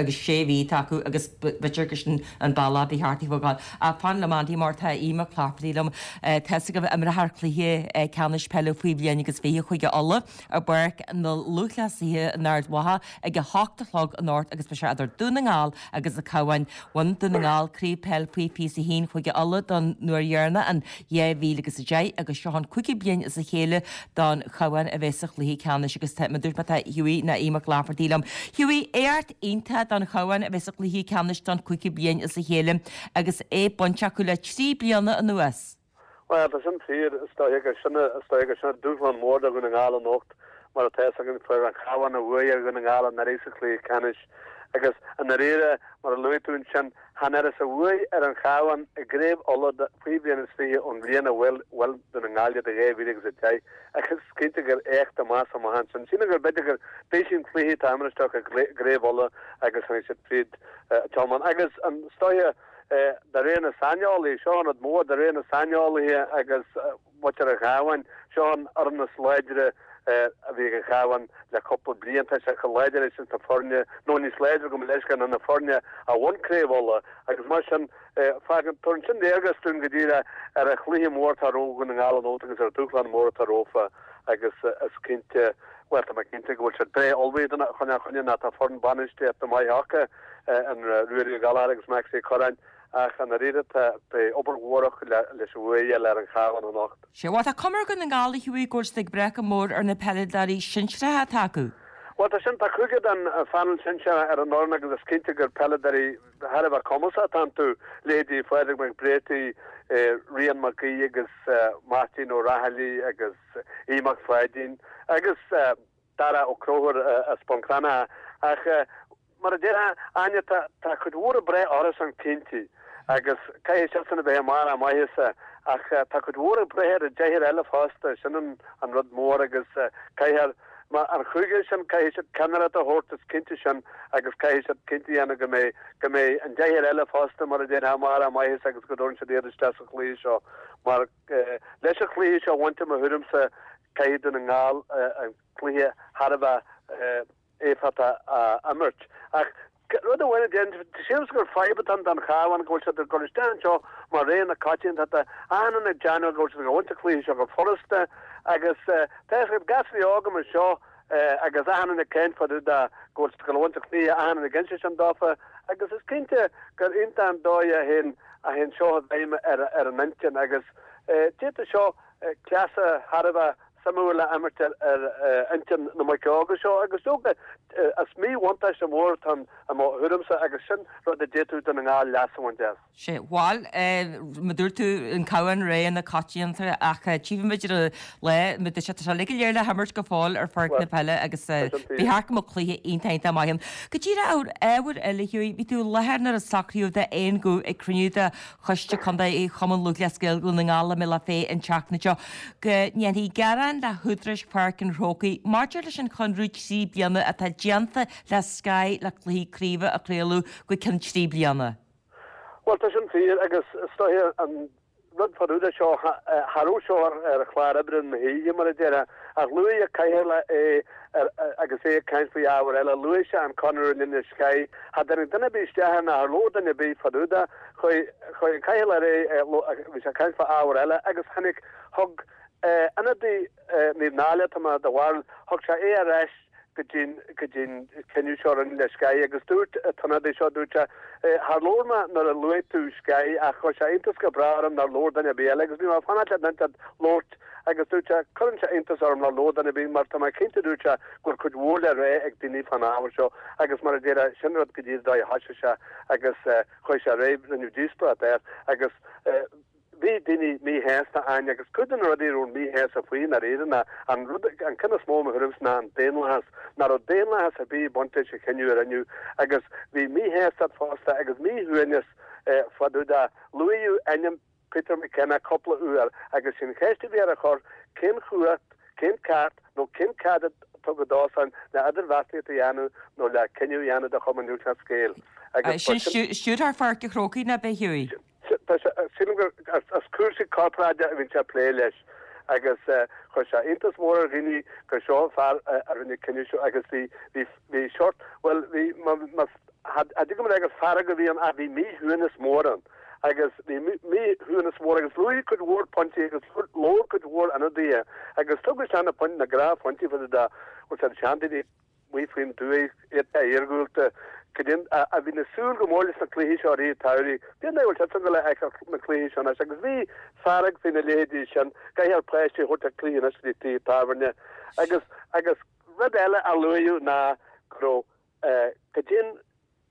agus sé mhí atá acu agus b'fhéidir gur sin an bealach ba cheart a bheith ag gabháil. Ach fan liom Andy mar tá Aodh Mac Laifeartaigh liom. Tá a fhios agaibh imreofar cluiche ceannais peile faoi bhliain agus 20 Chúige Uladh i bPáirc na Lúthchleasaithe in Ard Mhacha ag a hocht a chlog anocht agus beidh sé idir Dún na nGall agus an Cabhán. Bhain Dún na nGall Craobh Peil Faoi 21 Chúige Uladh don uair dheireanach in 2010 agus seo an cúigiú bliain as a chéile don Chabhán a bheith sa chluiche ceannais agus tá, mar a dúirt mé, tá Hughie nó Aodh Mac Laifeartaigh liom. Hughie, éacht iontach don Chabhán a bheith sa chluiche ceannais don cúigiú bliain as a chéile agus é bainte acu le trí bliana anuas. Bhuel, tá sin fíor, is dóiche gur sin, is dóiche gur sin dúshlán mór do Dhún na nGall anocht, mar atá fhios againn, fuair an Cabhán an bhuaidh ar Dhún na nGall anuraidh sa chluiche ceannais agus i ndáiríre, mar a luaigh tú ansin, chan fhuarthas an bhuaidh ar an Chabhán i gCraobh Uladh faoi bhliain is 20 ón bhliain a bhuail Dún na nGall iad i 2010 agus is cinnte gur éacht amach is amach ansin. Sílim gur b'fhéidir gur b'é sin cluiche atá imrithe acu i gCraobh Uladh agus tháinig siad fríd Tiomáint agus is dóiche De réir na saineolaithe, seo an rud mór, de réir na saineolaithe agus muintir an Chabháin, seo an fhoireann is láidre a bhí ag an Chabhán le cúpla bliain. Tá sé chomh láidir leis na foirne, nó níos láidre gabh mo leithscéal, ná na foirne a bhain Craobh Uladh agus mar sin fágann, tabharann sin léargas dúinn go díreach ar an chluiche mór atá rompu Dhún na nGall anocht agus ar an dúshlán mór atá rompu agus is cinnte, bhuel tá mé cinnte go bhfuil siad breá ullmhaithe don choinne ná tá foireann bainistíochta maith acu. in Ruairí Ó Gallchóir agus Maxie Ó Curráin ach i ndáiríre tá beidh obair mhór acu leis an bhuaidh a fháil ar an Chabhán anocht. Sea, bhuel tá cuma ar Dhún na nGall a Hughie go bhfuil siad ag brath go mór ar na peileadóirí sinsearacha atá acu. Bhuel tá sin, tá cúigear den phainéal sinsearach ar an fhoireann agus is cinnte gur peileadóirí thar a bheith cumasach atá iontu, leithéidí Phádraig Mac Bréartaigh, Rian Mac Aoidh agus Máirtín Ó Raghallaigh agus Aodh Mac Pháidín agus Dara Ó Conchúir as Bun Cranncha ach mar a déarfá, Áine, tá tá cuid mhór ag brath orthusan cinnte agus caithfidh siadsan a bheith i mbarr a maitheasa ach tá cuid mhór ag brath ar an deichniúr eile fosta, sin an an rud mór agus caithfear mar an chúigear sin caithfidh siad ceannaireacht a thabhairt is cinnte sin agus caithfidh siad cinnte a dhéanamh go mbeidh go mbeidh an deichniúr eile fosta mar a déarfá i mbarr a maitheasa agus go dtabharann siad iad isteach sa chluiche seo mar Leis an chluiche seo a bhaint i mo thuairimse caithfidh Dún na nGall an cluiche thar a bheith éifeachtach a imirt. Ach rud amháin a déarfainn, sílimse gur fadhb atá ann don Chabhán go bhfuil siad ag dul isteach anseo mar rogha na coitiantachta, achan duine ag déanamh go bhfuil siad ag baint an chluiche seo go furasta agus tá fhios agat gasraí óga mar seo agus achan duine ag caint fá dtaobh de go bhfuil siad ag dul a bhaint an chluiche, achan duine ag inse sin dófa agus is cinnte gur iontach an dóigh a théann a théann seo i bhfeidhm ar an intinn agus d'fhéadfadh seo cleasa thar a bheith. suimiúil a imirt ar intinn na mic óga seo agus dócha is míbhuntáiste mór atá ann i mo thuairimse agus sin rud a d'fhéadfadh Dún na nGall leas a bhaint as. Sea, bhail, mar dúirt tú, an Cabhán réidh na coitianta ach tchífimid ar an lá, mar tá sé tá sé uilig go léir le himirt go fóill ar pháirc na peile agus ba cheart go mbeadh cluiche iontach iontach maith ann. Go díreach ar ábhar eile, Hughie, bhí tú i láthair nuair a socraíodh d'aon ghuth ag cruinniú de Choiste Contae Chumann Lúthchleas Gael Dhún na nGall a mbeidh le fé an tseachtain seo go ndéanfaí gearán le húdaráis Pháirc an Chrócaigh maidir leis an chonradh 3 bliana atá déanta le Sky le cluichí craoibhe a chraoladh go ceann 3 bliana. Bhuel, tá sin fíor agus is dóiche an rud fá dtaobh de seo, cha raibh seo ar chlár oibre na hoíche mar a déarfá, ach luaigh an Cathaoirleach é agus é ag caint faoi ábhar eile, luaigh sé an conradh a rinne le Sky. Cha dtáinig duine ar bith isteach air ná char labhair duine ar bith fá dtaobh de. Chuaigh an Cathaoirleach ar aghaidh, bhí sé ag caint fá ábhar eile agus tháinig, thug ionadaí Naomh Náille, tá mé de bharúil, thug sé é ar ais go dtí'n, go dtí'n cinneadh seo a rinneadh le Sky agus dúirt an t-ionadaí seo, dúirt sé, char labhair mé nuair a luaigh tú Sky ach chuir sé iontas go breá orm nár labhair duine ar bith eile agus bhí mé ag fanacht le duine inteacht labhairt agus dúirt sé, cuireann sé iontas orm nár labhair duine ar bith mar tá mé cinnte, dúirt sé, go bhfuil cuid mhór le rá ag daoine fán ábhar seo agus mar a déarfá, sin rud go dtí an dóigh a thoisigh sé agus chuaigh sé ar aghaidh, rinneadh díospóireacht air agus. Bhí daoine míshásta ann agus cuid de na rudaí a raibh míshásta faoi i ndáiríre ná an rud, an ceann is mó i mo thuairimse ná an daonlathas, nach raibh daonlathas ar bith ag baint leis an chinneadh a rinneadh agus bhí míshástacht fosta agus míshuaimhneas fá dtaobh de. Luaíodh ainm Peter McKenna cúpla uair agus sin an cheist a bhí ar a chur, cén chumhacht, cén ceart nó cén cead a tugadh dósan le idirbheartaíocht a dhéanamh nó le cinneadh a dhéanamh do Chumann Lúthchleas Gael agus Sin Stiúrthóir Pháirc an Chrócaigh, nach b'é Hughie? Sílim gur as cúrsaí corparáide a bhíonn sé ag plé leis agus chuir sé iontas mór ar dhaoine gur seo an fear a rinne an cinneadh seo agus bhí, bhí, bhí sórt, bhuel, bhí, má, cha dtig liom a rá gur fearg a bhí ann ach bhí míshuaimhneas mór ann agus bhí míshuaimhneas mór agus luaigh cuid mhór pointí agus labhair cuid mhór ionadaithe agus tugadh isteach na pointí, na gnáthphointí fá dtaobh de, bhuel, na seandaoine. amuigh faoin dtuaith, iad iargúlta, cad é a bhíonn ag súil go mór leis na cluichí seo i rith an tsamhraidh. Cén dóigh a bhfuil siadsan ag gabháil a fheiceáil na cluichí seo anois agus bhí fearg faoi na leithéidí sin, caithfear páistí a thabhairt ag cluichí anois go dtí tithe tábhairne agus agus rud eile a luaíodh ná go raibh cad é an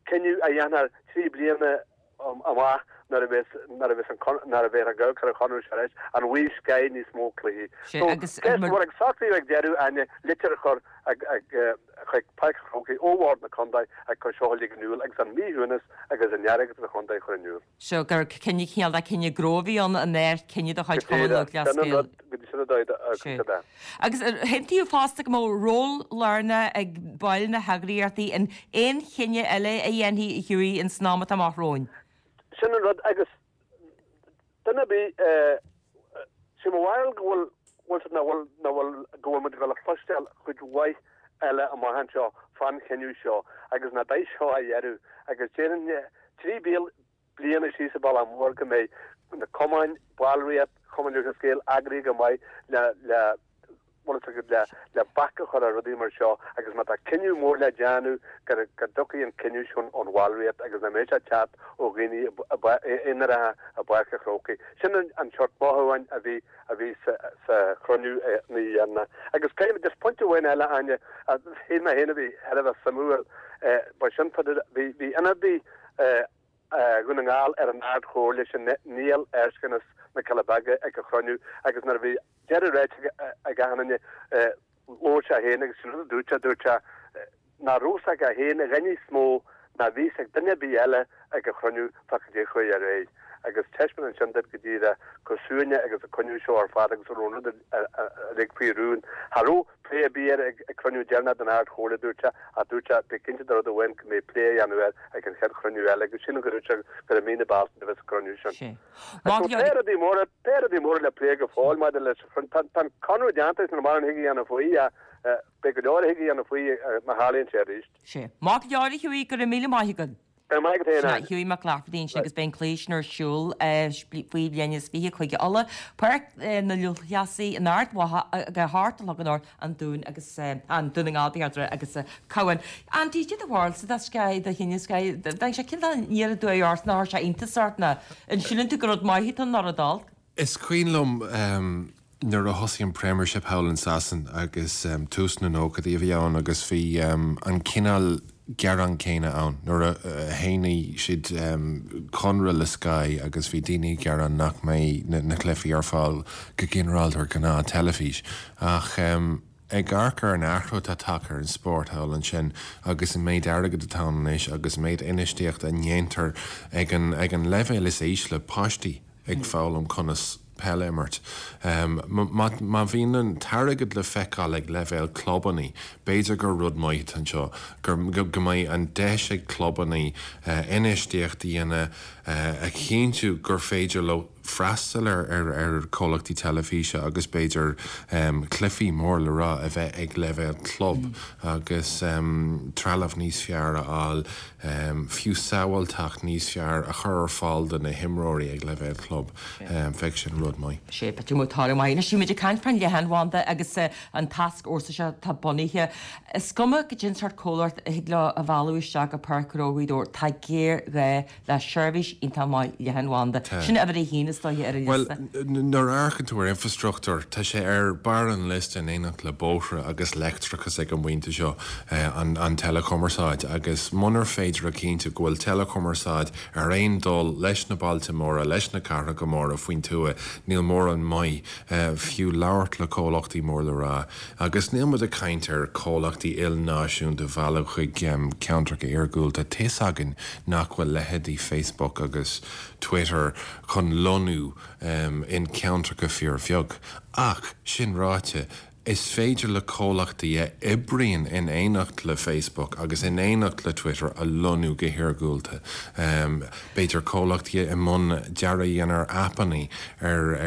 cinneadh a dhéanfar 3 bliana amach nuair a bheas nuair a bheas an nuair a bheifear ag amharc ar an chonradh seo arís, an bhfaighidh Sky níos mó cluichí. Sé So, agus ceist mhór agus socraíodh ag deireadh Áine litir a chur ag ag chuig Páirc an Chrócaigh ó Bhord na Contae ag cur seo uilig in iúl agus an míshuaimhneas agus an fhearg sa chontae a chur in iúl. So gur cinneadh cineál de cinneadh gnó a bhí ann an ar cinneadh de chuid Chumann Lúthchleas Sin an Gael. rud go dtí sin a dóigh a Sé. é. Agus ar aontaíodh fosta go mbeadh ról lárnach ag baill na heagraíochtaí in aon chinneadh eile a dhéanfaí a Hughie ins an am atá amach romhainn? Sin an rud agus duine ar bith, sé mo bharúil go bhfuil, bhfuil nach bhfuil, nach bhfuil, go bhfuil muid ag dul a chloisteáil cuid mhaith eile amach anseo fán chinneadh seo agus nach beidh seo a dheireadh agus déarfainn 3 bliana síos an bealach mór go mbeidh na cumainn, ballraíocht Chumann Lúthchleas Gael eagraithe go maith le le bhfuil fhios agat le le bac a chur ar rudaí mar seo agus má tá cinneadh mór le déanamh go go dtiocfaidh an cinneadh sin ón bhallraíocht agus nach mbeidh sé ag teacht ó dhaoine aonaracha i bPáirc an Chrócaigh. Sin an an seort mothúcháin a bhí a bhí sa sa chruinniú an oíche dheireanach. Agus caithfidh mé just pointe amháin eile Áine a shíl mé féin a bhí thar a bheith suimiúil ba sin bhí bhí ionadaí Dhún na nGall ar an Ard-Chomhairle sin Niall Erskine as na Cealla Beaga ag an chruinniú agus nuair a bhí deireadh ráite ag achan duine labhair sé féin agus sin rud a dúirt sé, dúirt sé nach raibh fhios aige féin a dhath níos mó ná bhí fhios ag duine ar bith eile ag an chruinniú fá cad é a chuaigh ar aghaidh agus taispeánann sin duit go díreach chomh suaimhneach agus a coinníodh seo ar fad agus a raibh an rud uilig faoi rún. Cha raibh plé ar bith air ag cruinniú deireanach den Ard Chomhairle, dúirt sé, ach dúirt sé, bí cinnte de rud amháin, go mbeidh plé á dhéanamh air ag an chéad chruinniú eile agus sílim go dúirt sé gur i mí na Bealtaine a bheas an cruinniú sin. Agus tá rudaí móra, tá rudaí móra le plé go fóill maidir leis an chruinniú. Tá an conradh déanta agus níl mórán a thig a dhéanamh faoi ach beidh go leor a thig a dhéanamh faoi má tharlaíonn sé arís. Sea. Maith go leor a Hughie, go raibh míle maith agat. Go raibh maith agat féin, Sea, Áine. Hughie Mac Laifeartaigh ansin agus beidh an cluiche sin ar siúl faoi bhliain is 20 Cúige Uladh, Páirc na Lúthchleasaí in Ard Mhacha ag a hocht a chlog anocht, An Dún agus, an Dún na nGall ba cheart a rá, agus Cabhán. Andy, cad é do bharúilsa de Sky, do chinneadh Sky, bheadh sé cineál aniar aduaidh ort, nach chuir sé iontas ort ná an síleann tú gur rud maith atá ann nó rud olc? Is cuimhin liom. Nuair a thosaigh an Premiership thall in Sasain agus tús na nóchaidí a bhí ann agus bhí an cineál gearán céanna ann nuair a shínigh siad conradh le Sky agus bhí daoine ag gearán nach mbeidh na cluichí ar fáil go ginearálta ar ghnáth teilifís ach ag amharc ar an athrú atá tagtha ar an spórt thall ansin agus an méid airgid atá ann anois agus an méid infheistíochta a ndéantar ag an ag an leibhéal is ísle, páistí ag foghlaim conas peil a imirt. Má bhíonn an t-airgead le feiceáil ag leibhéal clubannaí, b'fhéidir gur rud maith atá anseo, go mbeidh an deis ag clubannaí infheistíocht a dhéanamh a chinntiú gur féidir leo freastal ar chomhlachtaí teilifíse agus b'fhéidir cluichí mór le rá a bheith ag leibhéal club agus trealamh níos fearr a fháil. fiú sábháilteacht níos fearr a chur ar fáil do na himreoirí ag leibhéal club, bheadh sin rud maith. Sea, b'fhéidir go mbeadh toradh maith. Anois, bhí muid ag caint fán leathanbhanda agus an tascfhórsa seo atá bunaithe. Is cuma goidé an sórt comhlacht a thig leo a mhealladh isteach go Páirc Ghnó Ghaoth Dobhair, tá géarghá le seirbhís iontach maith leathanbhanda. Sin uimhir a haon, is dóiche, ar an liosta. Bhuel, nuair a amharcann tú ar infrastruchtúr, tá sé ar barr an liosta in éineacht le bóithre agus leictreachas ag an bpointe seo, an teileachumarsáid. Agus munar féidir a chinntiú go bhfuil teileachumarsáid ar aon dul leis na bailte móra, leis na cathracha móra faoin tuath, níl mórán maith fiú labhairt le comhlachtaí mór le rá. Agus níl muid ag caint ar chomhlachtaí ilnáisiúnta a mhealladh chuig ceantracha iargúlta. Tá's againn nach bhfuil leithéidí Facebook agus Twitter chun lonnú in ceantracha fíorbheag. Ach, sin ráite, is féidir le comhlachtaí a oibríonn in éineacht le Facebook agus in éineacht le Twitter a lonnú go hiargúlta. B'fhéidir comhlachtaí i mbun dearadh a dhéanamh ar aipeanna, ar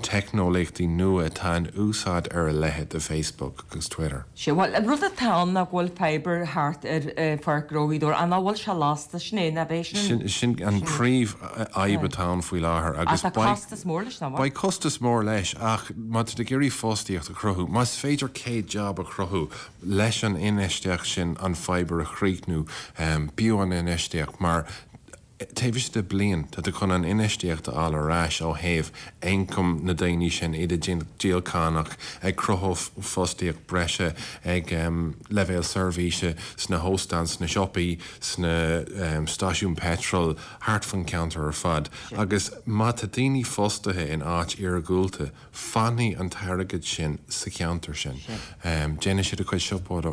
teicneolaíochtaí nua atá in úsáid ar a leithéid de Facebook agus Twitter. Sea, bhuel, an rud atá ann ná go bhfuil fibre thart ar Pháirc Ghnó Ghaoth Dobhair, ach nach bhfuil sé lasta, sin é, ná beidh sin. Sin an príomhfhadhb atá ann faoi láthair agus beidh. Ach tá costas mór leis, nach bhfuil? Beidh costas mór leis ach má tá tú ag iarraidh fostaíocht a chruthú, más féidir 100 jab a chruthú leis an infheistíocht sin an fibre a chríochnú, b'fhiú an infheistíocht mar taobh istigh de bliain tá tú chun an infheistíocht a fháil ar ais ó thaobh ioncam na daoine sin, iad ag díol cánach, ag cruthú fostaíocht breise ag leibhéal seirbhíse sna hóstáin, sna siopaí, sna stáisiúin peitril, thart fan cheantar ar fad. Agus má tá daoine fostaithe in áit iargúlta, Fanfaidh an t-airgead sin sa cheantar sin. Déanfaidh siad a chuid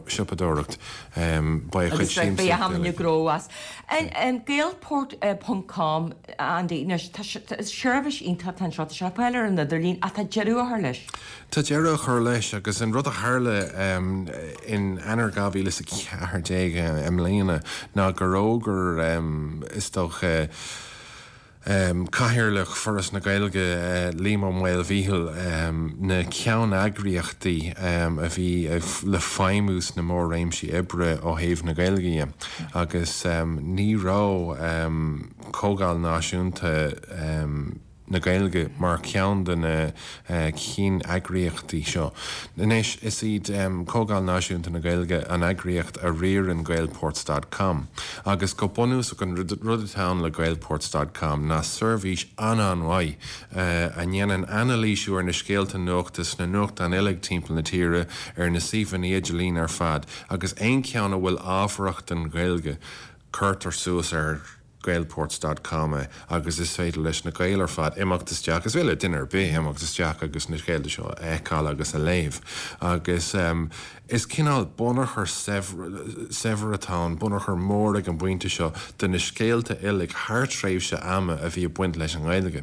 siopadóireacht. Beidh a chuid Agus beidh siamsaíocht achan uilig. gnó as. An Gaelport ponc com, Andy, anois, tá seirbhís iontach atá anseo, tá sé ar fáil ar an idirlíon ach tá deireadh á chur leis. Tá deireadh á chur leis agus an rud a tharla in Eanáir 2014 i mbliana ná gur fhógair, is dócha, Cathaoirleach Foras na Gaeilge, Liam Ó Maolmhíchíl, na ceanneagraíochtaí a bhí le feidhmiú sna mór-réimsí oibre ó thaobh na Gaeilge dhe agus ní raibh Comhdháil Náisiúnta na Gaeilge mar cheann de na ceanneagraíochtaí seo. Anois, is iad Comhdháil Náisiúnta na Gaeilge an eagraíocht a riarann Gaelports dot com agus go bunúsach an rud atá ann le Gaelports dot com ná seirbhís an-an-mhaith a ndéanann anailísiú ar na scéalta nuachta sna nuachtáin uilig timpeall na tíre, ar na suíomhanna idirlín ar fad agus aon cheann a bhfuil ábharach don Ghaeilge cuirtear suas ar Gaelports dot com é agus is féidir leis na Gaeil ar fad imeacht isteach, is féidir le duine ar bith imeacht isteach agus na scéalta seo a fheiceáil agus a léamh agus is cineál bunachar saibhir atá ann, bunachar mór ag an bpointe seo de na scéalta uilig thar tréimhse ama a bhí ag baint leis an nGaeilge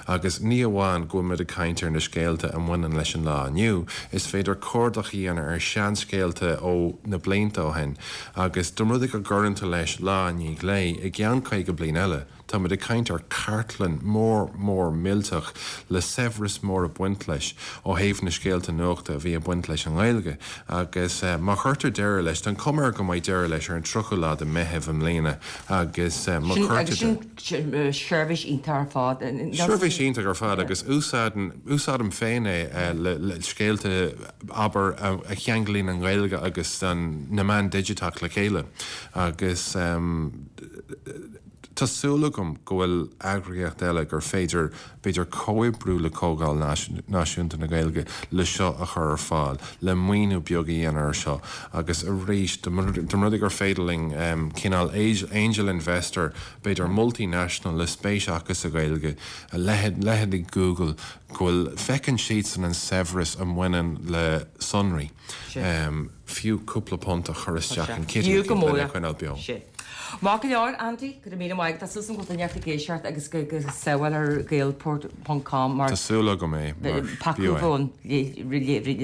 agus ní amháin go bhfuil muid ag caint ar na scéalta a mbaineann leis an lá inniu, is féidir cuardach a dhéanamh ar seanscéalta ó na blianta ó shin. Agus dá mba rud é go gcuireann tú leis lá i ndiaidh lae, i gceann 50 bliain eile, tá muid ag caint ar chartlann mór mór millteach le saibhreas mór ag baint leis ó thaobh na scéalta nuachta a bhí ag baint leis an nGaeilge. Agus má chuirtear deireadh leis, tá an chuma air go mbeidh deireadh leis ar an 30ú lá de Mheitheamh i mbliana agus má chuirtear deireadh. Sin seirbhís iontach ar fad. Seirbhís iontach ar fad agus úsáidim féin é le scéalta abair, a cheanglaíonn an Ghaeilge agus na meáin digiteach le chéile agus. Tá súil agam go bhfuil eagraíocht eile gur féidir, b'fhéidir, comhoibriú le Comhdháil Náisiúnta na Gaeilge le seo a chur ar fáil, le maoiniú beag a dhéanamh ar seo agus arís, dá mba rud é gur féidir linn cineál angel investor, b'fhéidir multinational le spéis acu sa Ghaeilge, a leithéidí Google, go bhfuil, feiceann siadsan an saibhreas a mbaineann le sonraí. Fiú cúpla punt a chur isteach in kitty Fiú go mór lena choinneáil beo. Sin. Maith go leor, Andy, go raibh míle maith agat. Tá súil agam go bhfuil duine ag éisteacht agus go sábháil ar gaelport ponc com mar Tá súil agam é, mar fiú é. Paca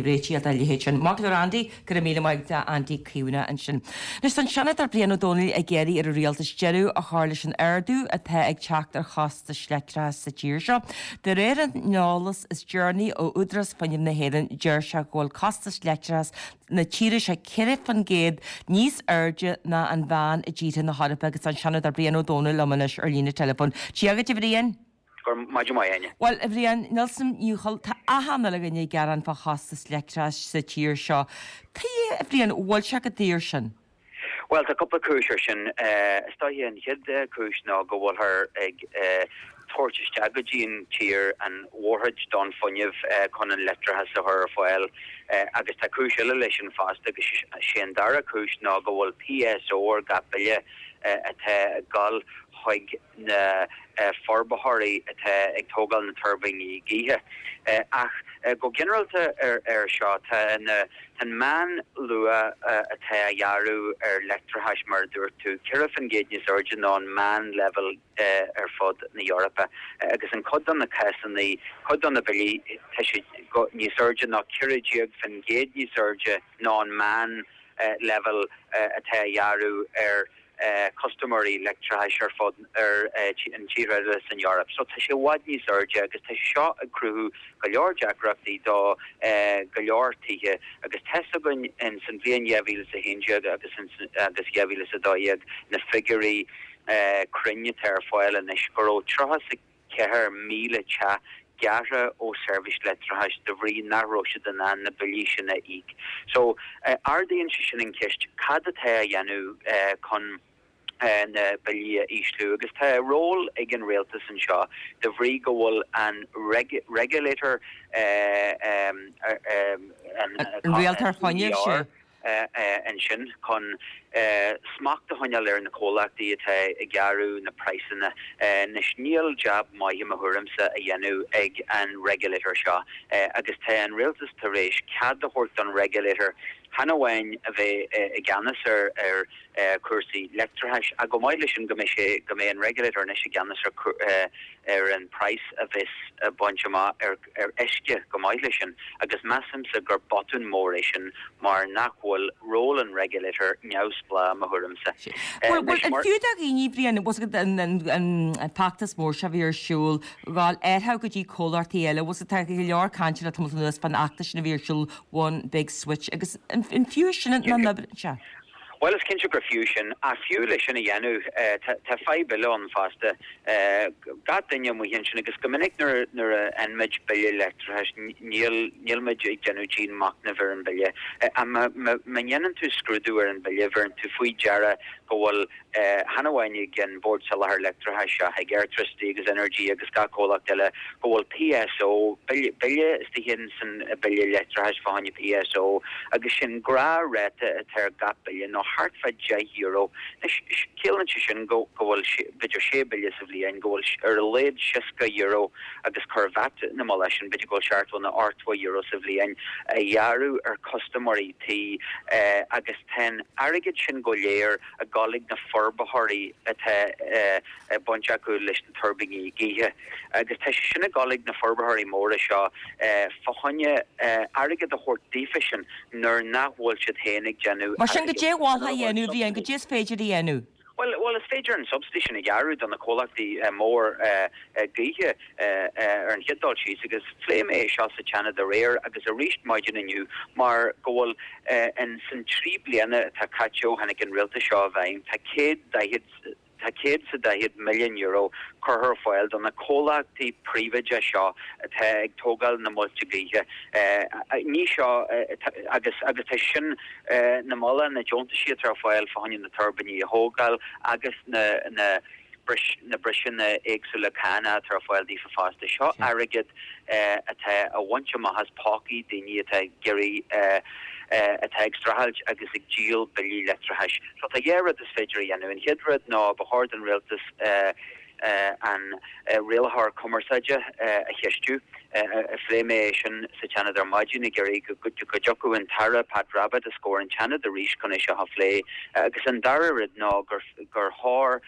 réitigh dá leithéid sin. Maith go leor, Andy, go raibh míle maith agat, Andy Caomhánach ansin. Anois tá an Seanadóir Brian Ó Domhnaill ag iarraidh ar an Rialtas deireadh a chur leis an ardú atá ag teacht ar chostais leictreachais sa tír seo. De réir an eolas is deireanaí ó Údarás Fuinnimh na hÉireann, deir sé go bhfuil costas leictreachais na tíre seo 4% níos airde ná an mheán i dtíortha na hEorpa agus tá an Seanadóir Brian Ó Domhnaill liom anois ar líne teileafóin. Dia dhuit a Bhriain. Go raibh maidin mhaith Áine. Bhuel a Bhriain, níl 's a'm, ní chol, tá achan uile dhuine ag gearán fá chostas leictreachais sa tír seo. Tuige a Bhriain, bhfuil sé chomh daor sin? Bhuel, tá cúpla cúis ar sin. Is dóiche an chéad chúis ná go bhfuilthear ag tabhairt isteach go dtí an tír an mhórchuid don fuinneamh chun an leictreachas a chur ar fáil. Agus tá cúis eile leis sin fosta agus sé an dara cúis ná go bhfuil PSO ar gach bille atá ag dul chuig na forbarthóirí atá ag tógáil na tuirbíní gaoithe. Ach go ginearálta ar seo, tá an meán luach atá á ghearradh ar leictreachas, mar a dúirt tú, 4% níos airde ná an meán leibhéal ar fud na hEorpa. Agus in cuid de na cásanna, cuid de na billí, tá siad níos airde ná 14% níos airde ná an meán leibhéal atá á ghearradh ar custaiméirí leictreachais ar fud ar an tíortha eile san Eoraip. So tá sé i bhfad níos airde agus tá sé seo ag cruthú go leor deacrachtaí do go leor tithe agus tá's againn in san bhliain 2011 agus agus 2012 na figiúirí cruinn atá ar fáil anois go raibh 34,000 teach gearrtha ó seirbhís leictreachais de bhrí nach raibh siad in ann na billí sin a íoc. So, ardaíonn sé sin an cheist, cad atá á dhéanamh chun na billí a ísliú? Agus tá ról ag an rialtas anseo de bhrí go bhfuil an regulator, an Rialtóir Fuinnimh, sea. ansin chun smacht a choinneáil ar na comhlachtaí atá ag gearradh na praghsanna. Anois níl jab maith i mo thuairimse á dhéanamh ag an regulator seo agus tá an rialtas tar éis cead a thabhairt don regulator chan amháin a bheith i gceannas ar chúrsaí leictreachais ach chomh maith leis sin go mbeidh sé go mbeidh an regulator anois i gceannas ar ar an praghas a bheas á baint amach ar ar uisce chomh maith leis sin agus measaimse gur botún mór é sin mar nach bhfuil ról an regulator neamhspleách i mo thuairimse. Bhuel, bhuel, an fiú do dhaoine, Bhriain, bhfuil 's agat an an feachtas mór seo a bhí ar siúl, ghabháil árthach go dtí comhlachtaí eile, bhfuil 's agat tá go leor cainte le tamall anuas fán fheachtas sin a bhí ar siúl One Big Switch agus an fiú sin an obair, sea. Bhuel, is cinnte gur fiú sin, ach fiú le sin a dhéanamh, tá fadhb eile ann fosta. Gach duine amuigh ansin, agus go minic nuair a fhaigheann muid bille leictreachais, níl, níl muid ag déanamh dian-mhachnaimh ar an bhille. Ach má dhéanann tú scrúdú ar an bhille, bheireann tú faoi deara go bhfuil, chan amháin ag an Bord Soláthair Leictreachais ach ag Airtricity agus Energy agus gach comhlacht eile, go bhfuil PSO, bille istigh in san bille leictreachais fá choinne PSO agus sin gnáthráta atá ar gach bille nó thart fá €10. Anois, ciallaíonn sé sin go bhfuil b'fhéidir sé bille sa bhliain, go bhfuil ar a laghad €60 agus cuir VAT ina mullach sin, b'fhéidir go bhfuil €70 nó €80 sa bhliain á ghearradh ar custaiméirí tí agus tá an airgead sin go léir ag dul ag na forbarthóirí atá baint acu leis na tuirbíní gaoithe agus tá sé sin ag dul ag na forbarthóirí móra seo fá choinne airgead a thabhairt daofa sin nuair nach bhfuil siad féin ag déanamh Mar sin, goidé a mholfá a dhéanamh, a Bhriain, goidé is féidir a dhéanamh? Bhuel, bhuel, is féidir an subsidy sin a ghearradh do na comhlachtaí mór gaoithe ar an chéad dul síos agus phléigh mé é seo sa tSeanad aréir agus arís maidin inniu mar go bhfuil in san 3 bliana atá caite ó tháinig an rialtas seo i bhfeidhm tá 140 tá €140 milliún curtha ar fáil do na comhlachtaí príobháideacha seo atá ag tógáil na muilte gaoithe. Ní seo agus agus tá sin na moladh na deontaisí atá ar fáil fá choinne na tuirbíní a thógáil agus na na. na briseanna éagsúla cánach atá ar fáil daofa fosta. Seo airgead atá á bhaint amach as pócaí daoine atá ag iarraidh, atá ag streachailt agus ag díol billí leictreachais. So tá dhá rud is féidir a dhéanamh. An chéad rud ná ba chóir don rialtas an rialaitheoir cumarsáide a cheistiú. Phléigh mé é sin sa tSeanad ar maidin ag iarraidh go dtiocfadh an tAire Pat Rabbitte os comhair an tSeanaid arís chun é seo a phlé. Agus an dara rud ná gur chóir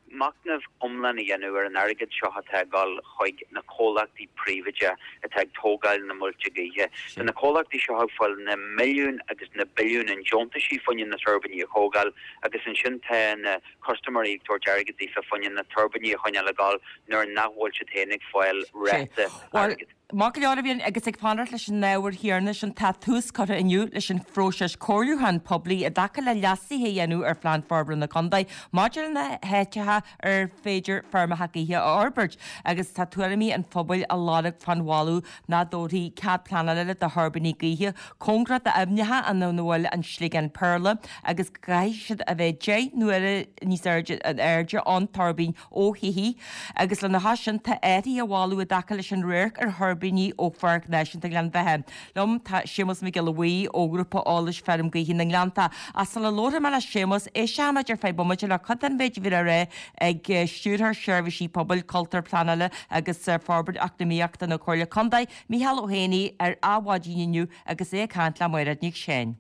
machnamh iomlán a dhéanamh ar an airgead seo atá ag dul chuig na comhlachtaí príobháideacha atá ag tógáil na muilte gaoithe. Tá na comhlachtaí seo ag fáil na milliúin agus na billiúin i ndeontaisí fá choinne na tuirbíní a thógáil agus ansin tá na custaiméirí ag tabhairt airgead daofa fá choinne na tuirbíní a choinneáil ag dul nuair nach bhfuil siad féin ag fáil ráta airgid. Maith go leor a Bhriain, agus ag fanacht leis an ábhar chéanna sin, tá tús curtha inniu leis an phróiseas comhairliúcháin poiblí i dtaca le leasuithe a dhéanamh ar Phlean Forbartha na Contae maidir le na háiteacha ar féidir feirmeacha gaoithe a fhorbairt agus tá tuairimí an phobail á lorg fán mholadh nach dtabharfaí cead pleanála do thuirbíní gaoithe cóngarach d'aibhneacha ina bhfuil an sliogán péarla agus go gcaithfidh siad a bheith 10 n-uaire níos airde an airde ón tuirbín ó thithe, agus lena chois sin tá athruithe á mholadh i dtaca leis an radharc ar thuirbíní ó Pháirc Náisiúnta Ghleann Bheatha. Liom tá Séamus Mac Giolla Bhuí ó Ghrúpa Eolais Feirm Gaoithe na nGleannta. Ach sula labharfaidh mé le Séamus, éistfimid ar feadh bomaite le cuid den mhéid a bhí le rá ag Stiúrthóir Seirbhísí Pobail, Cultúir, Pleanála agus Forbairt Eacnamaíochta na Comhairle Contae, Micheál Ó hÉanaí, ar Adhmhaidin inniu agus é ag caint le Mairéad Nic Seáin.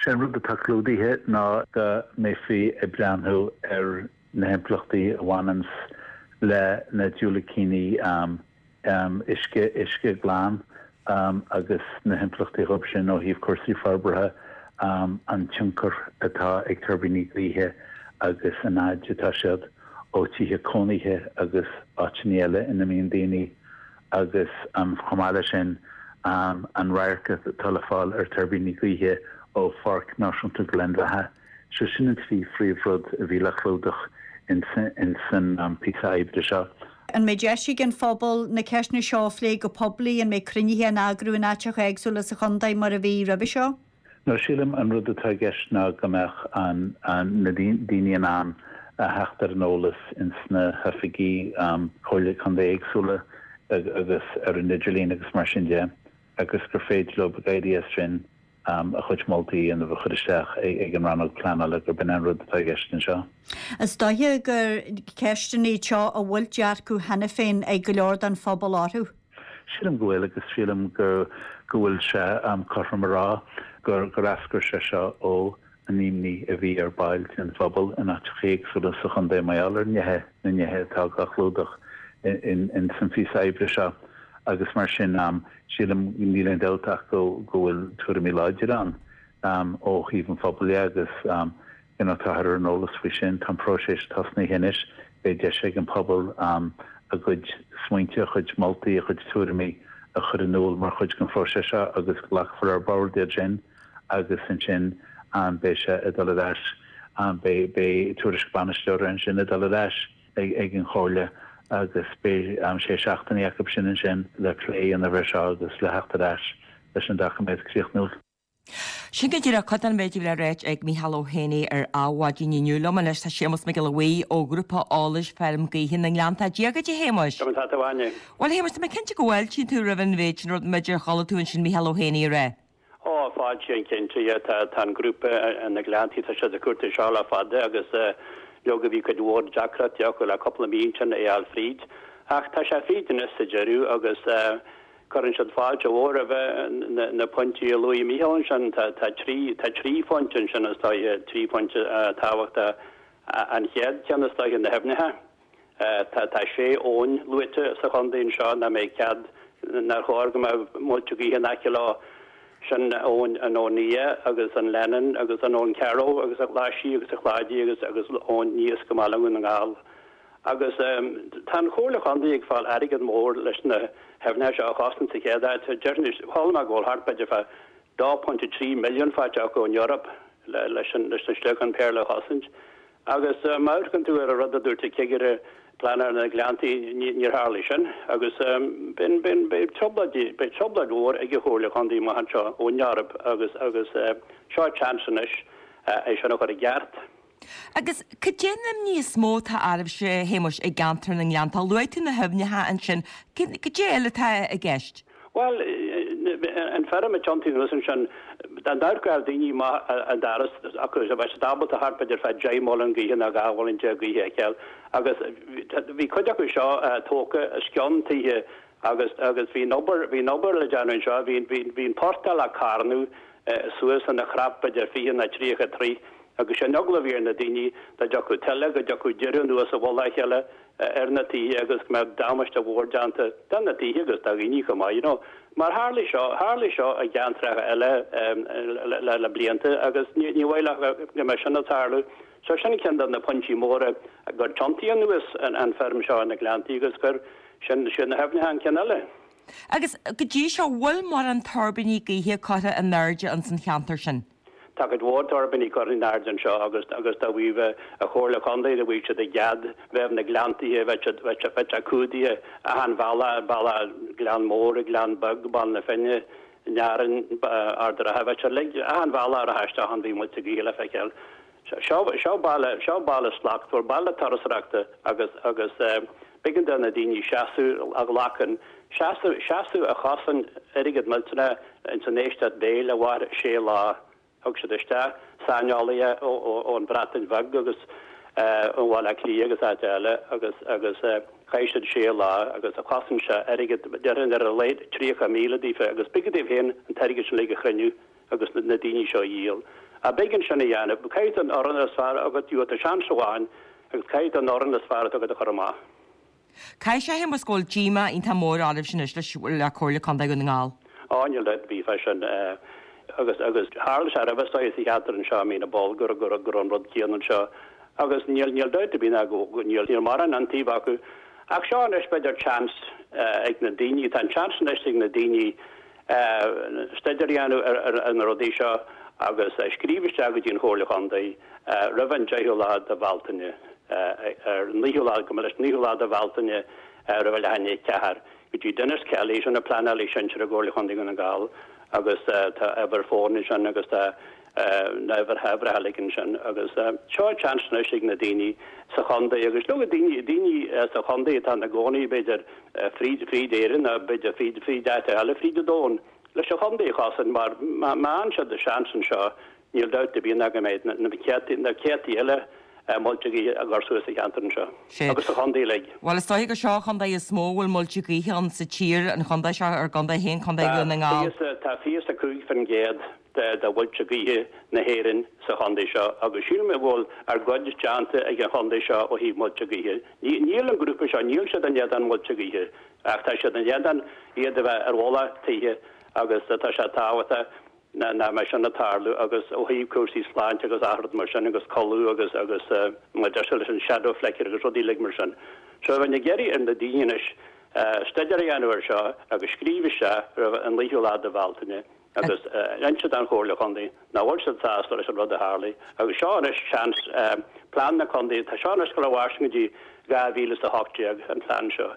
Sé an rud atá clúdaithe ná go mbeifí ag breathnú ar na himpleachtaí a bhaineanns le na diúilicíní uisce, uisce glan agus na himpleachtaí dhóibh sin ó thaobh cúrsaí forbartha, an tionchar atá ag tuirbíní gaoithe agus an fhaid atá siad ó tithe cónaithe agus áiteanna eile ina mbíonn daoine. agus chomh maith leis sin an radharc atá le fáil ar tuirbíní gaoithe ó Pháirc Náisiúnta Ghleann Bheatha. So sin an trí phríomhrud a bhí le clúdach ins an píosa oibre seo. An mbeidh deis ag an phobal na ceisteanna seo a phlé go poiblí? An mbeidh cruinnithe á n-eagrú in áiteacha éagsúla sa chontae mar a bhí roimhe seo? No, sílim an rud atá i gceist ná go mbeadh an, na daoine in ann a theacht ar an eolas ins na hoifigí Comhairle Contae éagsúla agus ar an idirlíon agus mar sin de agus gur féidir leo ag éirí as sin a chuid moltaí a dhéanamh a chur isteach ag an rannóg pleanála gurb in an rud atá i gceist anseo. Is dóiche gur ceisteanna iad seo a bhfuil dearcadh cheana féin ag go leor den phobal orthu. Sílim go bhfuil agus sílim go go bhfuil sé cothrom a rá gur gur eascair sé seo ó an imní a bhí ar baill den phobal in áiteacha éagsúla sa chontae mar gheall ar nithe na nithe atá á chlúdach in in san phíosa oibre seo agus mar sin sílim níl aon dabht ach go go bhfuil tuairimí láidire ann ó thaobh an phobail dhe agus you know táthar ar an eolas faoi sin. Tá an próiseas tosnaithe anois, beidh deis ag an pobal a gcuid smaointe, a chuid moltaí, a chuid tuairimí a chur in iúl mar chuid den phróiseas seo agus glacfar ar bord iad sin agus ansin beidh sé ag dul ar ais, beidh beidh tuairisc bainisteora ansin ag dul ar ais ag ag an Chomhairle agus beidh sé seachtainí acu sin ansin le plé a dhéanamh air seo agus le theacht ar ais leis an doiciméad críochnúil. Sin go díreach cuid den mhéid a bhí le ráit ag Micheál Ó hÉanaí ar Adhmhaidin inniu. Liom anois tá Séamus Mac Giolla Bhuí ó Ghrúpa Eolais Feirm Gaoithe na nGleannta. Dia dhuit a Shéamuis. Conas tá tú a Áine? Bhuel a Shéamuis, tá mé cinnte go bhfáiltíonn tú roimh an mhéid sin rud, b'fhéidir a chuala tú ansin Micheál Ó hÉanaí a rá. Ó, fáiltím cinnte, yeah, tá, tá an grúpa na Gleanntaí, tá siad ag cuartú seo le fada agus leoga bhí cuid mhór deacrachtaí acu le cúpla mí ansin é a fháil fríd. Ach tá sé fríd anois sa deireadh agus Cuireann siad fáilte mhór roimh na pointí a luaigh Mícheál ansin. Tá trí tá trí phointe ansin is dóiche, trí phointe tábhachtacha. An chéad cheann is dóiche na haibhneacha. Tá tá sé abhainn luaite sa chontae anseo nach mbeidh cead, nár chóir go mbeadh muilte gaoithe in aice leo. Sin abhainn an Abhainn Nia agus an Lennon agus an Abhainn Carrow agus an Ghlaisí agus an Chláidí agus agus Abhainn Naosc i mBaile Dhún na nGall. Agus tá an Chomhairle Chontae ag fáil airgead mór leis na haibhneacha seo a chosaint sa chéad áit. Déarfainn, chuala mé go bhfuil thart b'fhéidir fá 2.3 milliún faighte acu ón Eoraip leis na sliogáin péarla a chosaint. Agus má amharcann tú ar an rud a dúirt an cigire pleanála na Gleanntaí, níor tharlaigh sin. Agus beidh trioblóid, beidh trioblóid mhór ag an Chomhairle Chontae amach anseo ón Eoraip agus agus seo seans anois é sin a chur i gceart. Agus cad é an imní is mó atá oraibhse, a Shéamuis, i gceantar na nGleanntach? Luaigh tú na haibhneacha ansin. Cad é eile atá i gceist? Bhuel, an feirm ag tiontú anuas ansin, dá n-amharcfadh daoine amach an doras acu, bheadh siad ábalta thart b'fhéidir fá 10 muileann gaoithe nó 12 mhuileann gaoithe a fheiceáil. Agus bhí cuid acu seo tógtha os cionn tithe agus agus bhí an obair, bhí an obair le déanamh anseo, bhí, bhí, bhí an portach le carnadh suas ina chnap b'fhéidir 20 nó 30 troigh agus sin eagla a bhí ar na daoine dá dtiocfadh tuile go dtiocfadh deireadh anuas i mhullach a chéile ar na tithe agus go mbeadh damáiste mhór déanta do na tithe agus do dhaoine chomh maith, you know. Mar tharlaigh seo, tharlaigh seo i gceantracha eile le le blianta agus ní ní mhaith leo go mbeadh sin ag tarlú. So sin ceann de na pointí móra gur tiontaíodh anuas an an feirm seo na Gleanntaí agus gur sin siad na haibhneacha an ceann eile. Agus go dtí seo, bhfuil mórán tuirbíní gaoithe curtha in airde ins an cheantar sin? Tá cuid mhór tuirbíní curtha in airde anseo agus agus dá bhfaigheadh an Chomhairle Chontae dá bhfaigheadh siad a gcead bheadh na Gleanntaithe bheadh siad bheadh bheadh sé cumhdaithe achan bhealach bealach Gleann Mór Gleann Beag Baile na Finne Nearáin Ard an Rátha bheadh sé uilig achan bhealach a rachadh isteach ann bhí muilte gaoithe le feiceáil. Seo seo baile seo baile slachtmhar baile turasóireachta agus agus b'éigean do na daoine seasamh a ghlacann seasamh seasamh a chosain airgead millteanach ins an éisteacht béil a mhair sé lá. Thug siad isteach saineolaithe ó ó ón Bhreatain Bheag agus ó Bhaile Átha Cliath agus áit eile agus agus chaith siad sé lá agus a chosain sé airgead déarfainn ar a laghad 30,000 daofa agus b'éigean dóibh féin an t-airgead sin uilig a chruinniú. agus na daoine seo a dhíol. Ach b'éigean sin a dhéanamh. Caithfidh tú an fhoireann is fearr agat, gheobhaidh tú seans amháin agus caithfidh tú an fhoireann is fearr atá agat a chur amach. Caithfidh sé a Shéamuis go bhfuil díomá iontach mór oraibhse anois leis le Comhairle Contae Dhún na nGall. Á níl dabht ar bith fá sin. Agus agus tharla sé roimhe seo sa cheantar anseo i Mín na bPoll go go raibh an rud céanna anseo. Agus níl níl dabht ar bith ná go níl níl mórán iontaoibh acu. Ach seo anois b'fhéidir chance ag na daoine, tá an chance anois ag na daoine staidéar a dhéanamh ar na rudaí seo agus scríobh isteach go dtí an Chomhairle Chontae roimh an 10ú lá de Bhealtaine, ar an 9ú lá, gabh mo leithscéal, 9ú lá de Bhealtaine roimh a leath i ndiaidh a 4, go dtí Denis Kelly, sin an pleanálaí sinsearach i gComhairle Chontae Dhún na nGall agus tá uimhir fóin ansin agus tá na huimhreacha uilig ansin agus seo seans anois ag na daoine sa chontae agus leoga daoine daoine sa chontae atá ina gcónaí b'fhéidir fríd fríd Éirinn nó b'fhéidir fríd fríd áit eile fríd an domhan leis an chontae a chosaint mar má fhaigheann siad an seans anseo níl dabht ar bith ná go mbeidh na céadtaí na céadtaí eile muilte gaoithe á gcur suas sa cheantar anseo agus sa chontae uilig. Bhuel is dóiche gur seo an chontae is mó a bhfuil muilte gaoithe ann sa tír, an chontae seo, ár gcontae féin, Contae Dhún na nGall. Tá 25% de mhuilte gaoithe na hÉireann sa chontae seo agus sílim go bhfuil ár gcuid déanta ag an chontae seo ó thaobh muilte gaoithe. Níl an grúpa seo, níl siad in éadán muilte gaoithe ach tá siad in éadán iad a bheith ar mhullach tithe agus tá sé tábhachtach nach mbeidh sin ag tarlú agus ó thaobh cúrsaí sláinte agus achan rud mar sin agus codladh agus agus mar deir siad leis an shadow flicker agus rudaí uilig mar sin. So bheinn ag iarraidh ar na daoine anois staidéar a dhéanamh ar seo agus scríobh isteach roimh an 9ú lá de Bhealtaine agus inse don Chomhairle Chontae nach bhfuil siad sásta leis an rud a tharlaigh agus seo anois seans plean na contae, tá seo anois ag dul a mhairstean go dtí 2018 an plean seo.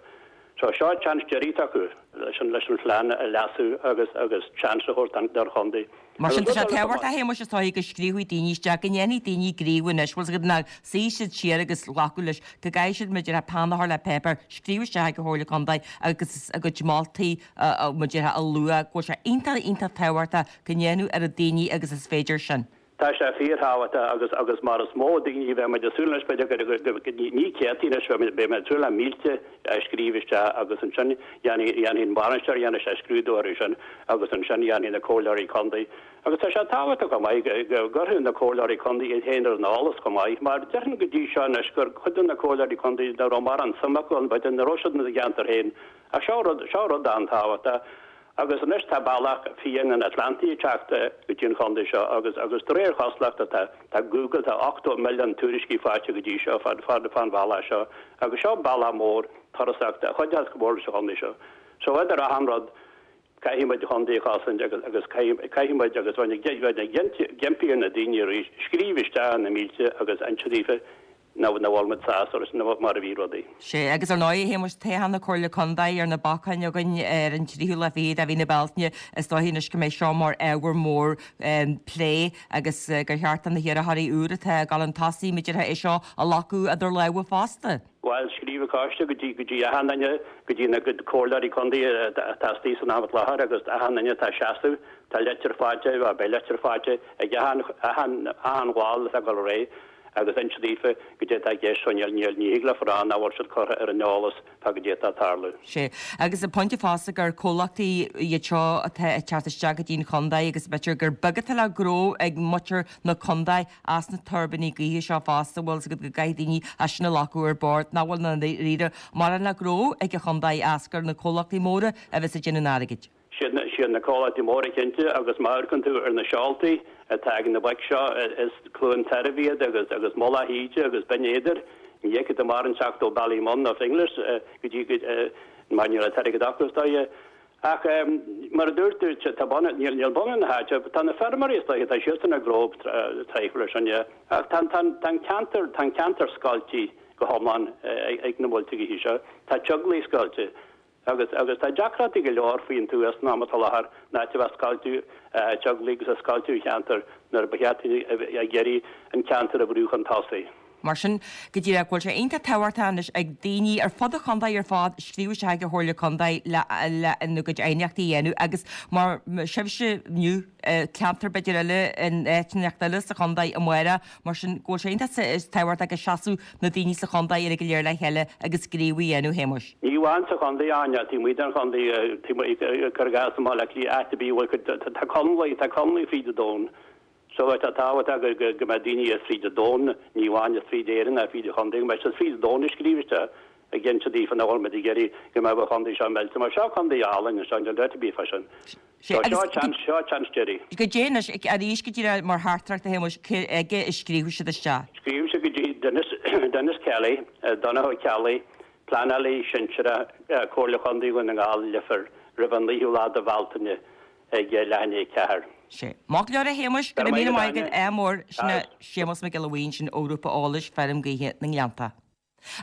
So seo seans deiridh atá acu leis an leis an phlean a leasú agus agus seans a thabhairt don chontae. Mar sin tá sé tábhachtach a Shéamuis is dóigh go scríobhfaidh daoine isteach, go ndéanfaidh daoine gníomh anois, bhfuil 's agat nach suífidh siad siar agus glacadh leis, go gcaithfidh siad mar a déarfá peann a chur le páipéar, scríobh isteach ag an Chomhairle Contae agus a gcuid moltaí mar a déarfá a lua, go bhfuil sé iontach iontach tábhachtach go ndéanfadh oiread daoine agus is féidir sin. Tá sé fíorthábhachtach agus agus mar is mó daoine bheidh muid ag súil anois b'fhéidir go go ní céadtaí anois beidh muid ag súil le mílte a scríobh isteach agus ansin dhéanfaidh dhéanfaidh an bainisteoir dhéanfaidh sé scrúdú orthu sin agus ansin dhéanfaidh na comhairleoirí contae agus tá sé tábhachtach chomh maith go go gcuirfidh na comhairleoirí contae iad féin ar an eolas chomh maith mar déarfainn go dtí seo anois gur cuid de na comhairleoirí contae nach raibh mórán suim acu ann b'fhéidir nach raibh siad ina gceantar féin ach seo rud seo rud an-tábhachtach Agus anois tá bealach fiáin an Atlantaigh ag teacht go dtí an chontae seo agus agus de réir chosúlachta tá tá Google tá 80 milliún tuairiscí faighte go dtí seo fán fán fán bhealach seo agus seo bealach mór turasóireachta a chuideos go mór leis an chontae seo. So idir achan rud caithfidh muid an chontae a chosaint agus agus caithfidh caithfidh muid agus bheinn ag bheinn ag impí ar na daoine arís scríobh isteach na mílte agus inse daofa. Nach bhfuil muid sásta leis mar a bhí rudaí. Sea, agus ar ndóigh, a Shéamuis, toghchán na Comhairle Contae ar na bacáin againn ar an tríú lá fichead de mhí na Bealtaine, is dóiche anois go mbeidh seo mar ábhar mór plé agus gur cheart do na hiarrthóirí úr atá ag dul chun tosaigh, b'fhéidir, é seo a ghlacadh idir lámha fosta. Bhuel, scríobh an coiste go dtí go dtí achan duine, go dtí na comhairleoirí contae atá istigh san am i láthair agus achan duine atá ag seasamh, tá litir faighte, bhuel, beidh litir faighte ag achan, achan, achan bhall atá ag dul ar aghaidh. agus inse daofa goidé atá i gceist so níl, níl, ní thig leofa rá nach bhfuil siad curtha ar an eolas fá goidé atá ag tarlú. Sea, agus an pointe fosta gur comhlachtaí iad seo atá ag teacht isteach go dtí an chontae agus b'fhéidir gur beag atá le gnó ag muintir na contae as na tuirbíní gaoithe seo fosta, bhfuil 's agat go gcaithfidh daoine é sin a ghlacadh ar bord, nach bhfuil i ndáiríre mórán le gnó ag an chontae as gur na comhlachtaí móra a bheas ag déanamh an airgid. Siad na comhlachtaí móra cinnte agus má amharcann tú ar na seoltaí atá ag na boic seo is Cluain Tairbh iad agus agus Mullach Íde agus Binn Éadair. Ní fheicfidh tú mórán teacht ó Ballymun nó Finglas go dtí go mar níl an t-airgead acu is dóiche. Ach mar a dúirt tú tá bunadh níl níl bunadh na háite tá na feirmeoirí is dóiche tá siadsan ag gnó traidhfil ar sin yeah. Ach tá tá tá an ceantar tá an ceantar scoilte go hiomlán ag na muilte gaoithe seo. Tá teaghlaigh scoilte. Agus, agus tá deacrachtaí go leor faoin tuath san am atá i láthair, in áit a bheith ag scoilteadh teaghlaigh agus ag scoilteadh an cheantair nuair ba cheart daoine a bheith ag iarraidh an ceantar a bhrú chun tosaigh. Mar sin, go díreach, go bhfuil sé iontach tábhachtach anois ag daoine ar fud an chontae ar fad scríobh isteach ag an Chomhairle Contae le, le a gcuid aighneachtaí a dhéanamh agus mar sibhse inniu, ceantar b'fhéidir eile in áit inteacht eile sa chontae amárach, Mar sin, go bhfuil sé iontach tábhachtach go seasfadh na daoine sa chontae uilig go léir le chéile agus gníomh a dhéanamh, a Shéamuis. Ní amháin sa chontae, Áine, taobh amuigh den chontae, taobh amuigh, cuir i gcás i mBaile Átha Cliath, áit ar bith a bhfuil cuid, tá conlaí, tá conlaí fríd an domhan. So tá tábhachtach go, go, go mbeadh daoine as fríd an domhan, ní amháin as fríd Éirinn ná fríd an chontae, go mbeadh siad fríd an domhan ag scríobh isteach ag inse daofa nach bhfuil muid ag iarraidh go mbeadh an chontae seo millte. Mar seo contae álainn anseo, níl dabht ar bith fá sin. Sea, agus. Seo seans, seo seans deiridh. Goidé anois, arís go díreach mar theachtaireacht a Shéamuis, cé aige a scríobhadh siad isteach? Scríobhadh siad go dtí Denis, Denis Kelly, Donncha Ó Ceallaigh, Pleanálaí Sinsearach, Comhairle Chontae Dhún na nGall, Leifear, roimh an 9ú lá de Bhealtaine ag leath i ndiaidh 4. Sea. Maith go leor a Shéamuis, go raibh míle maith agat, ádh mór, sin é Séamus Mac Giolla Bhuí ansin ó Ghrúpa Eolais Feirm Gaoithe na nGleannta.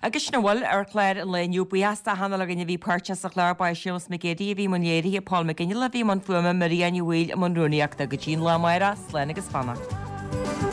Agus sin a bhfuil ar chlár an lae inniu. Buíochas d'achan uile dhuine a bhí páirteach sa chlár. Ba é Séamus Mac Géadaigh a bhí i mbun léirithe, Paul McGinley a bhí i mbun fuaime, Maria Ní Bhaoill i mbun rúnaíochta. Go dtí an lá amárach, slán agus beannacht.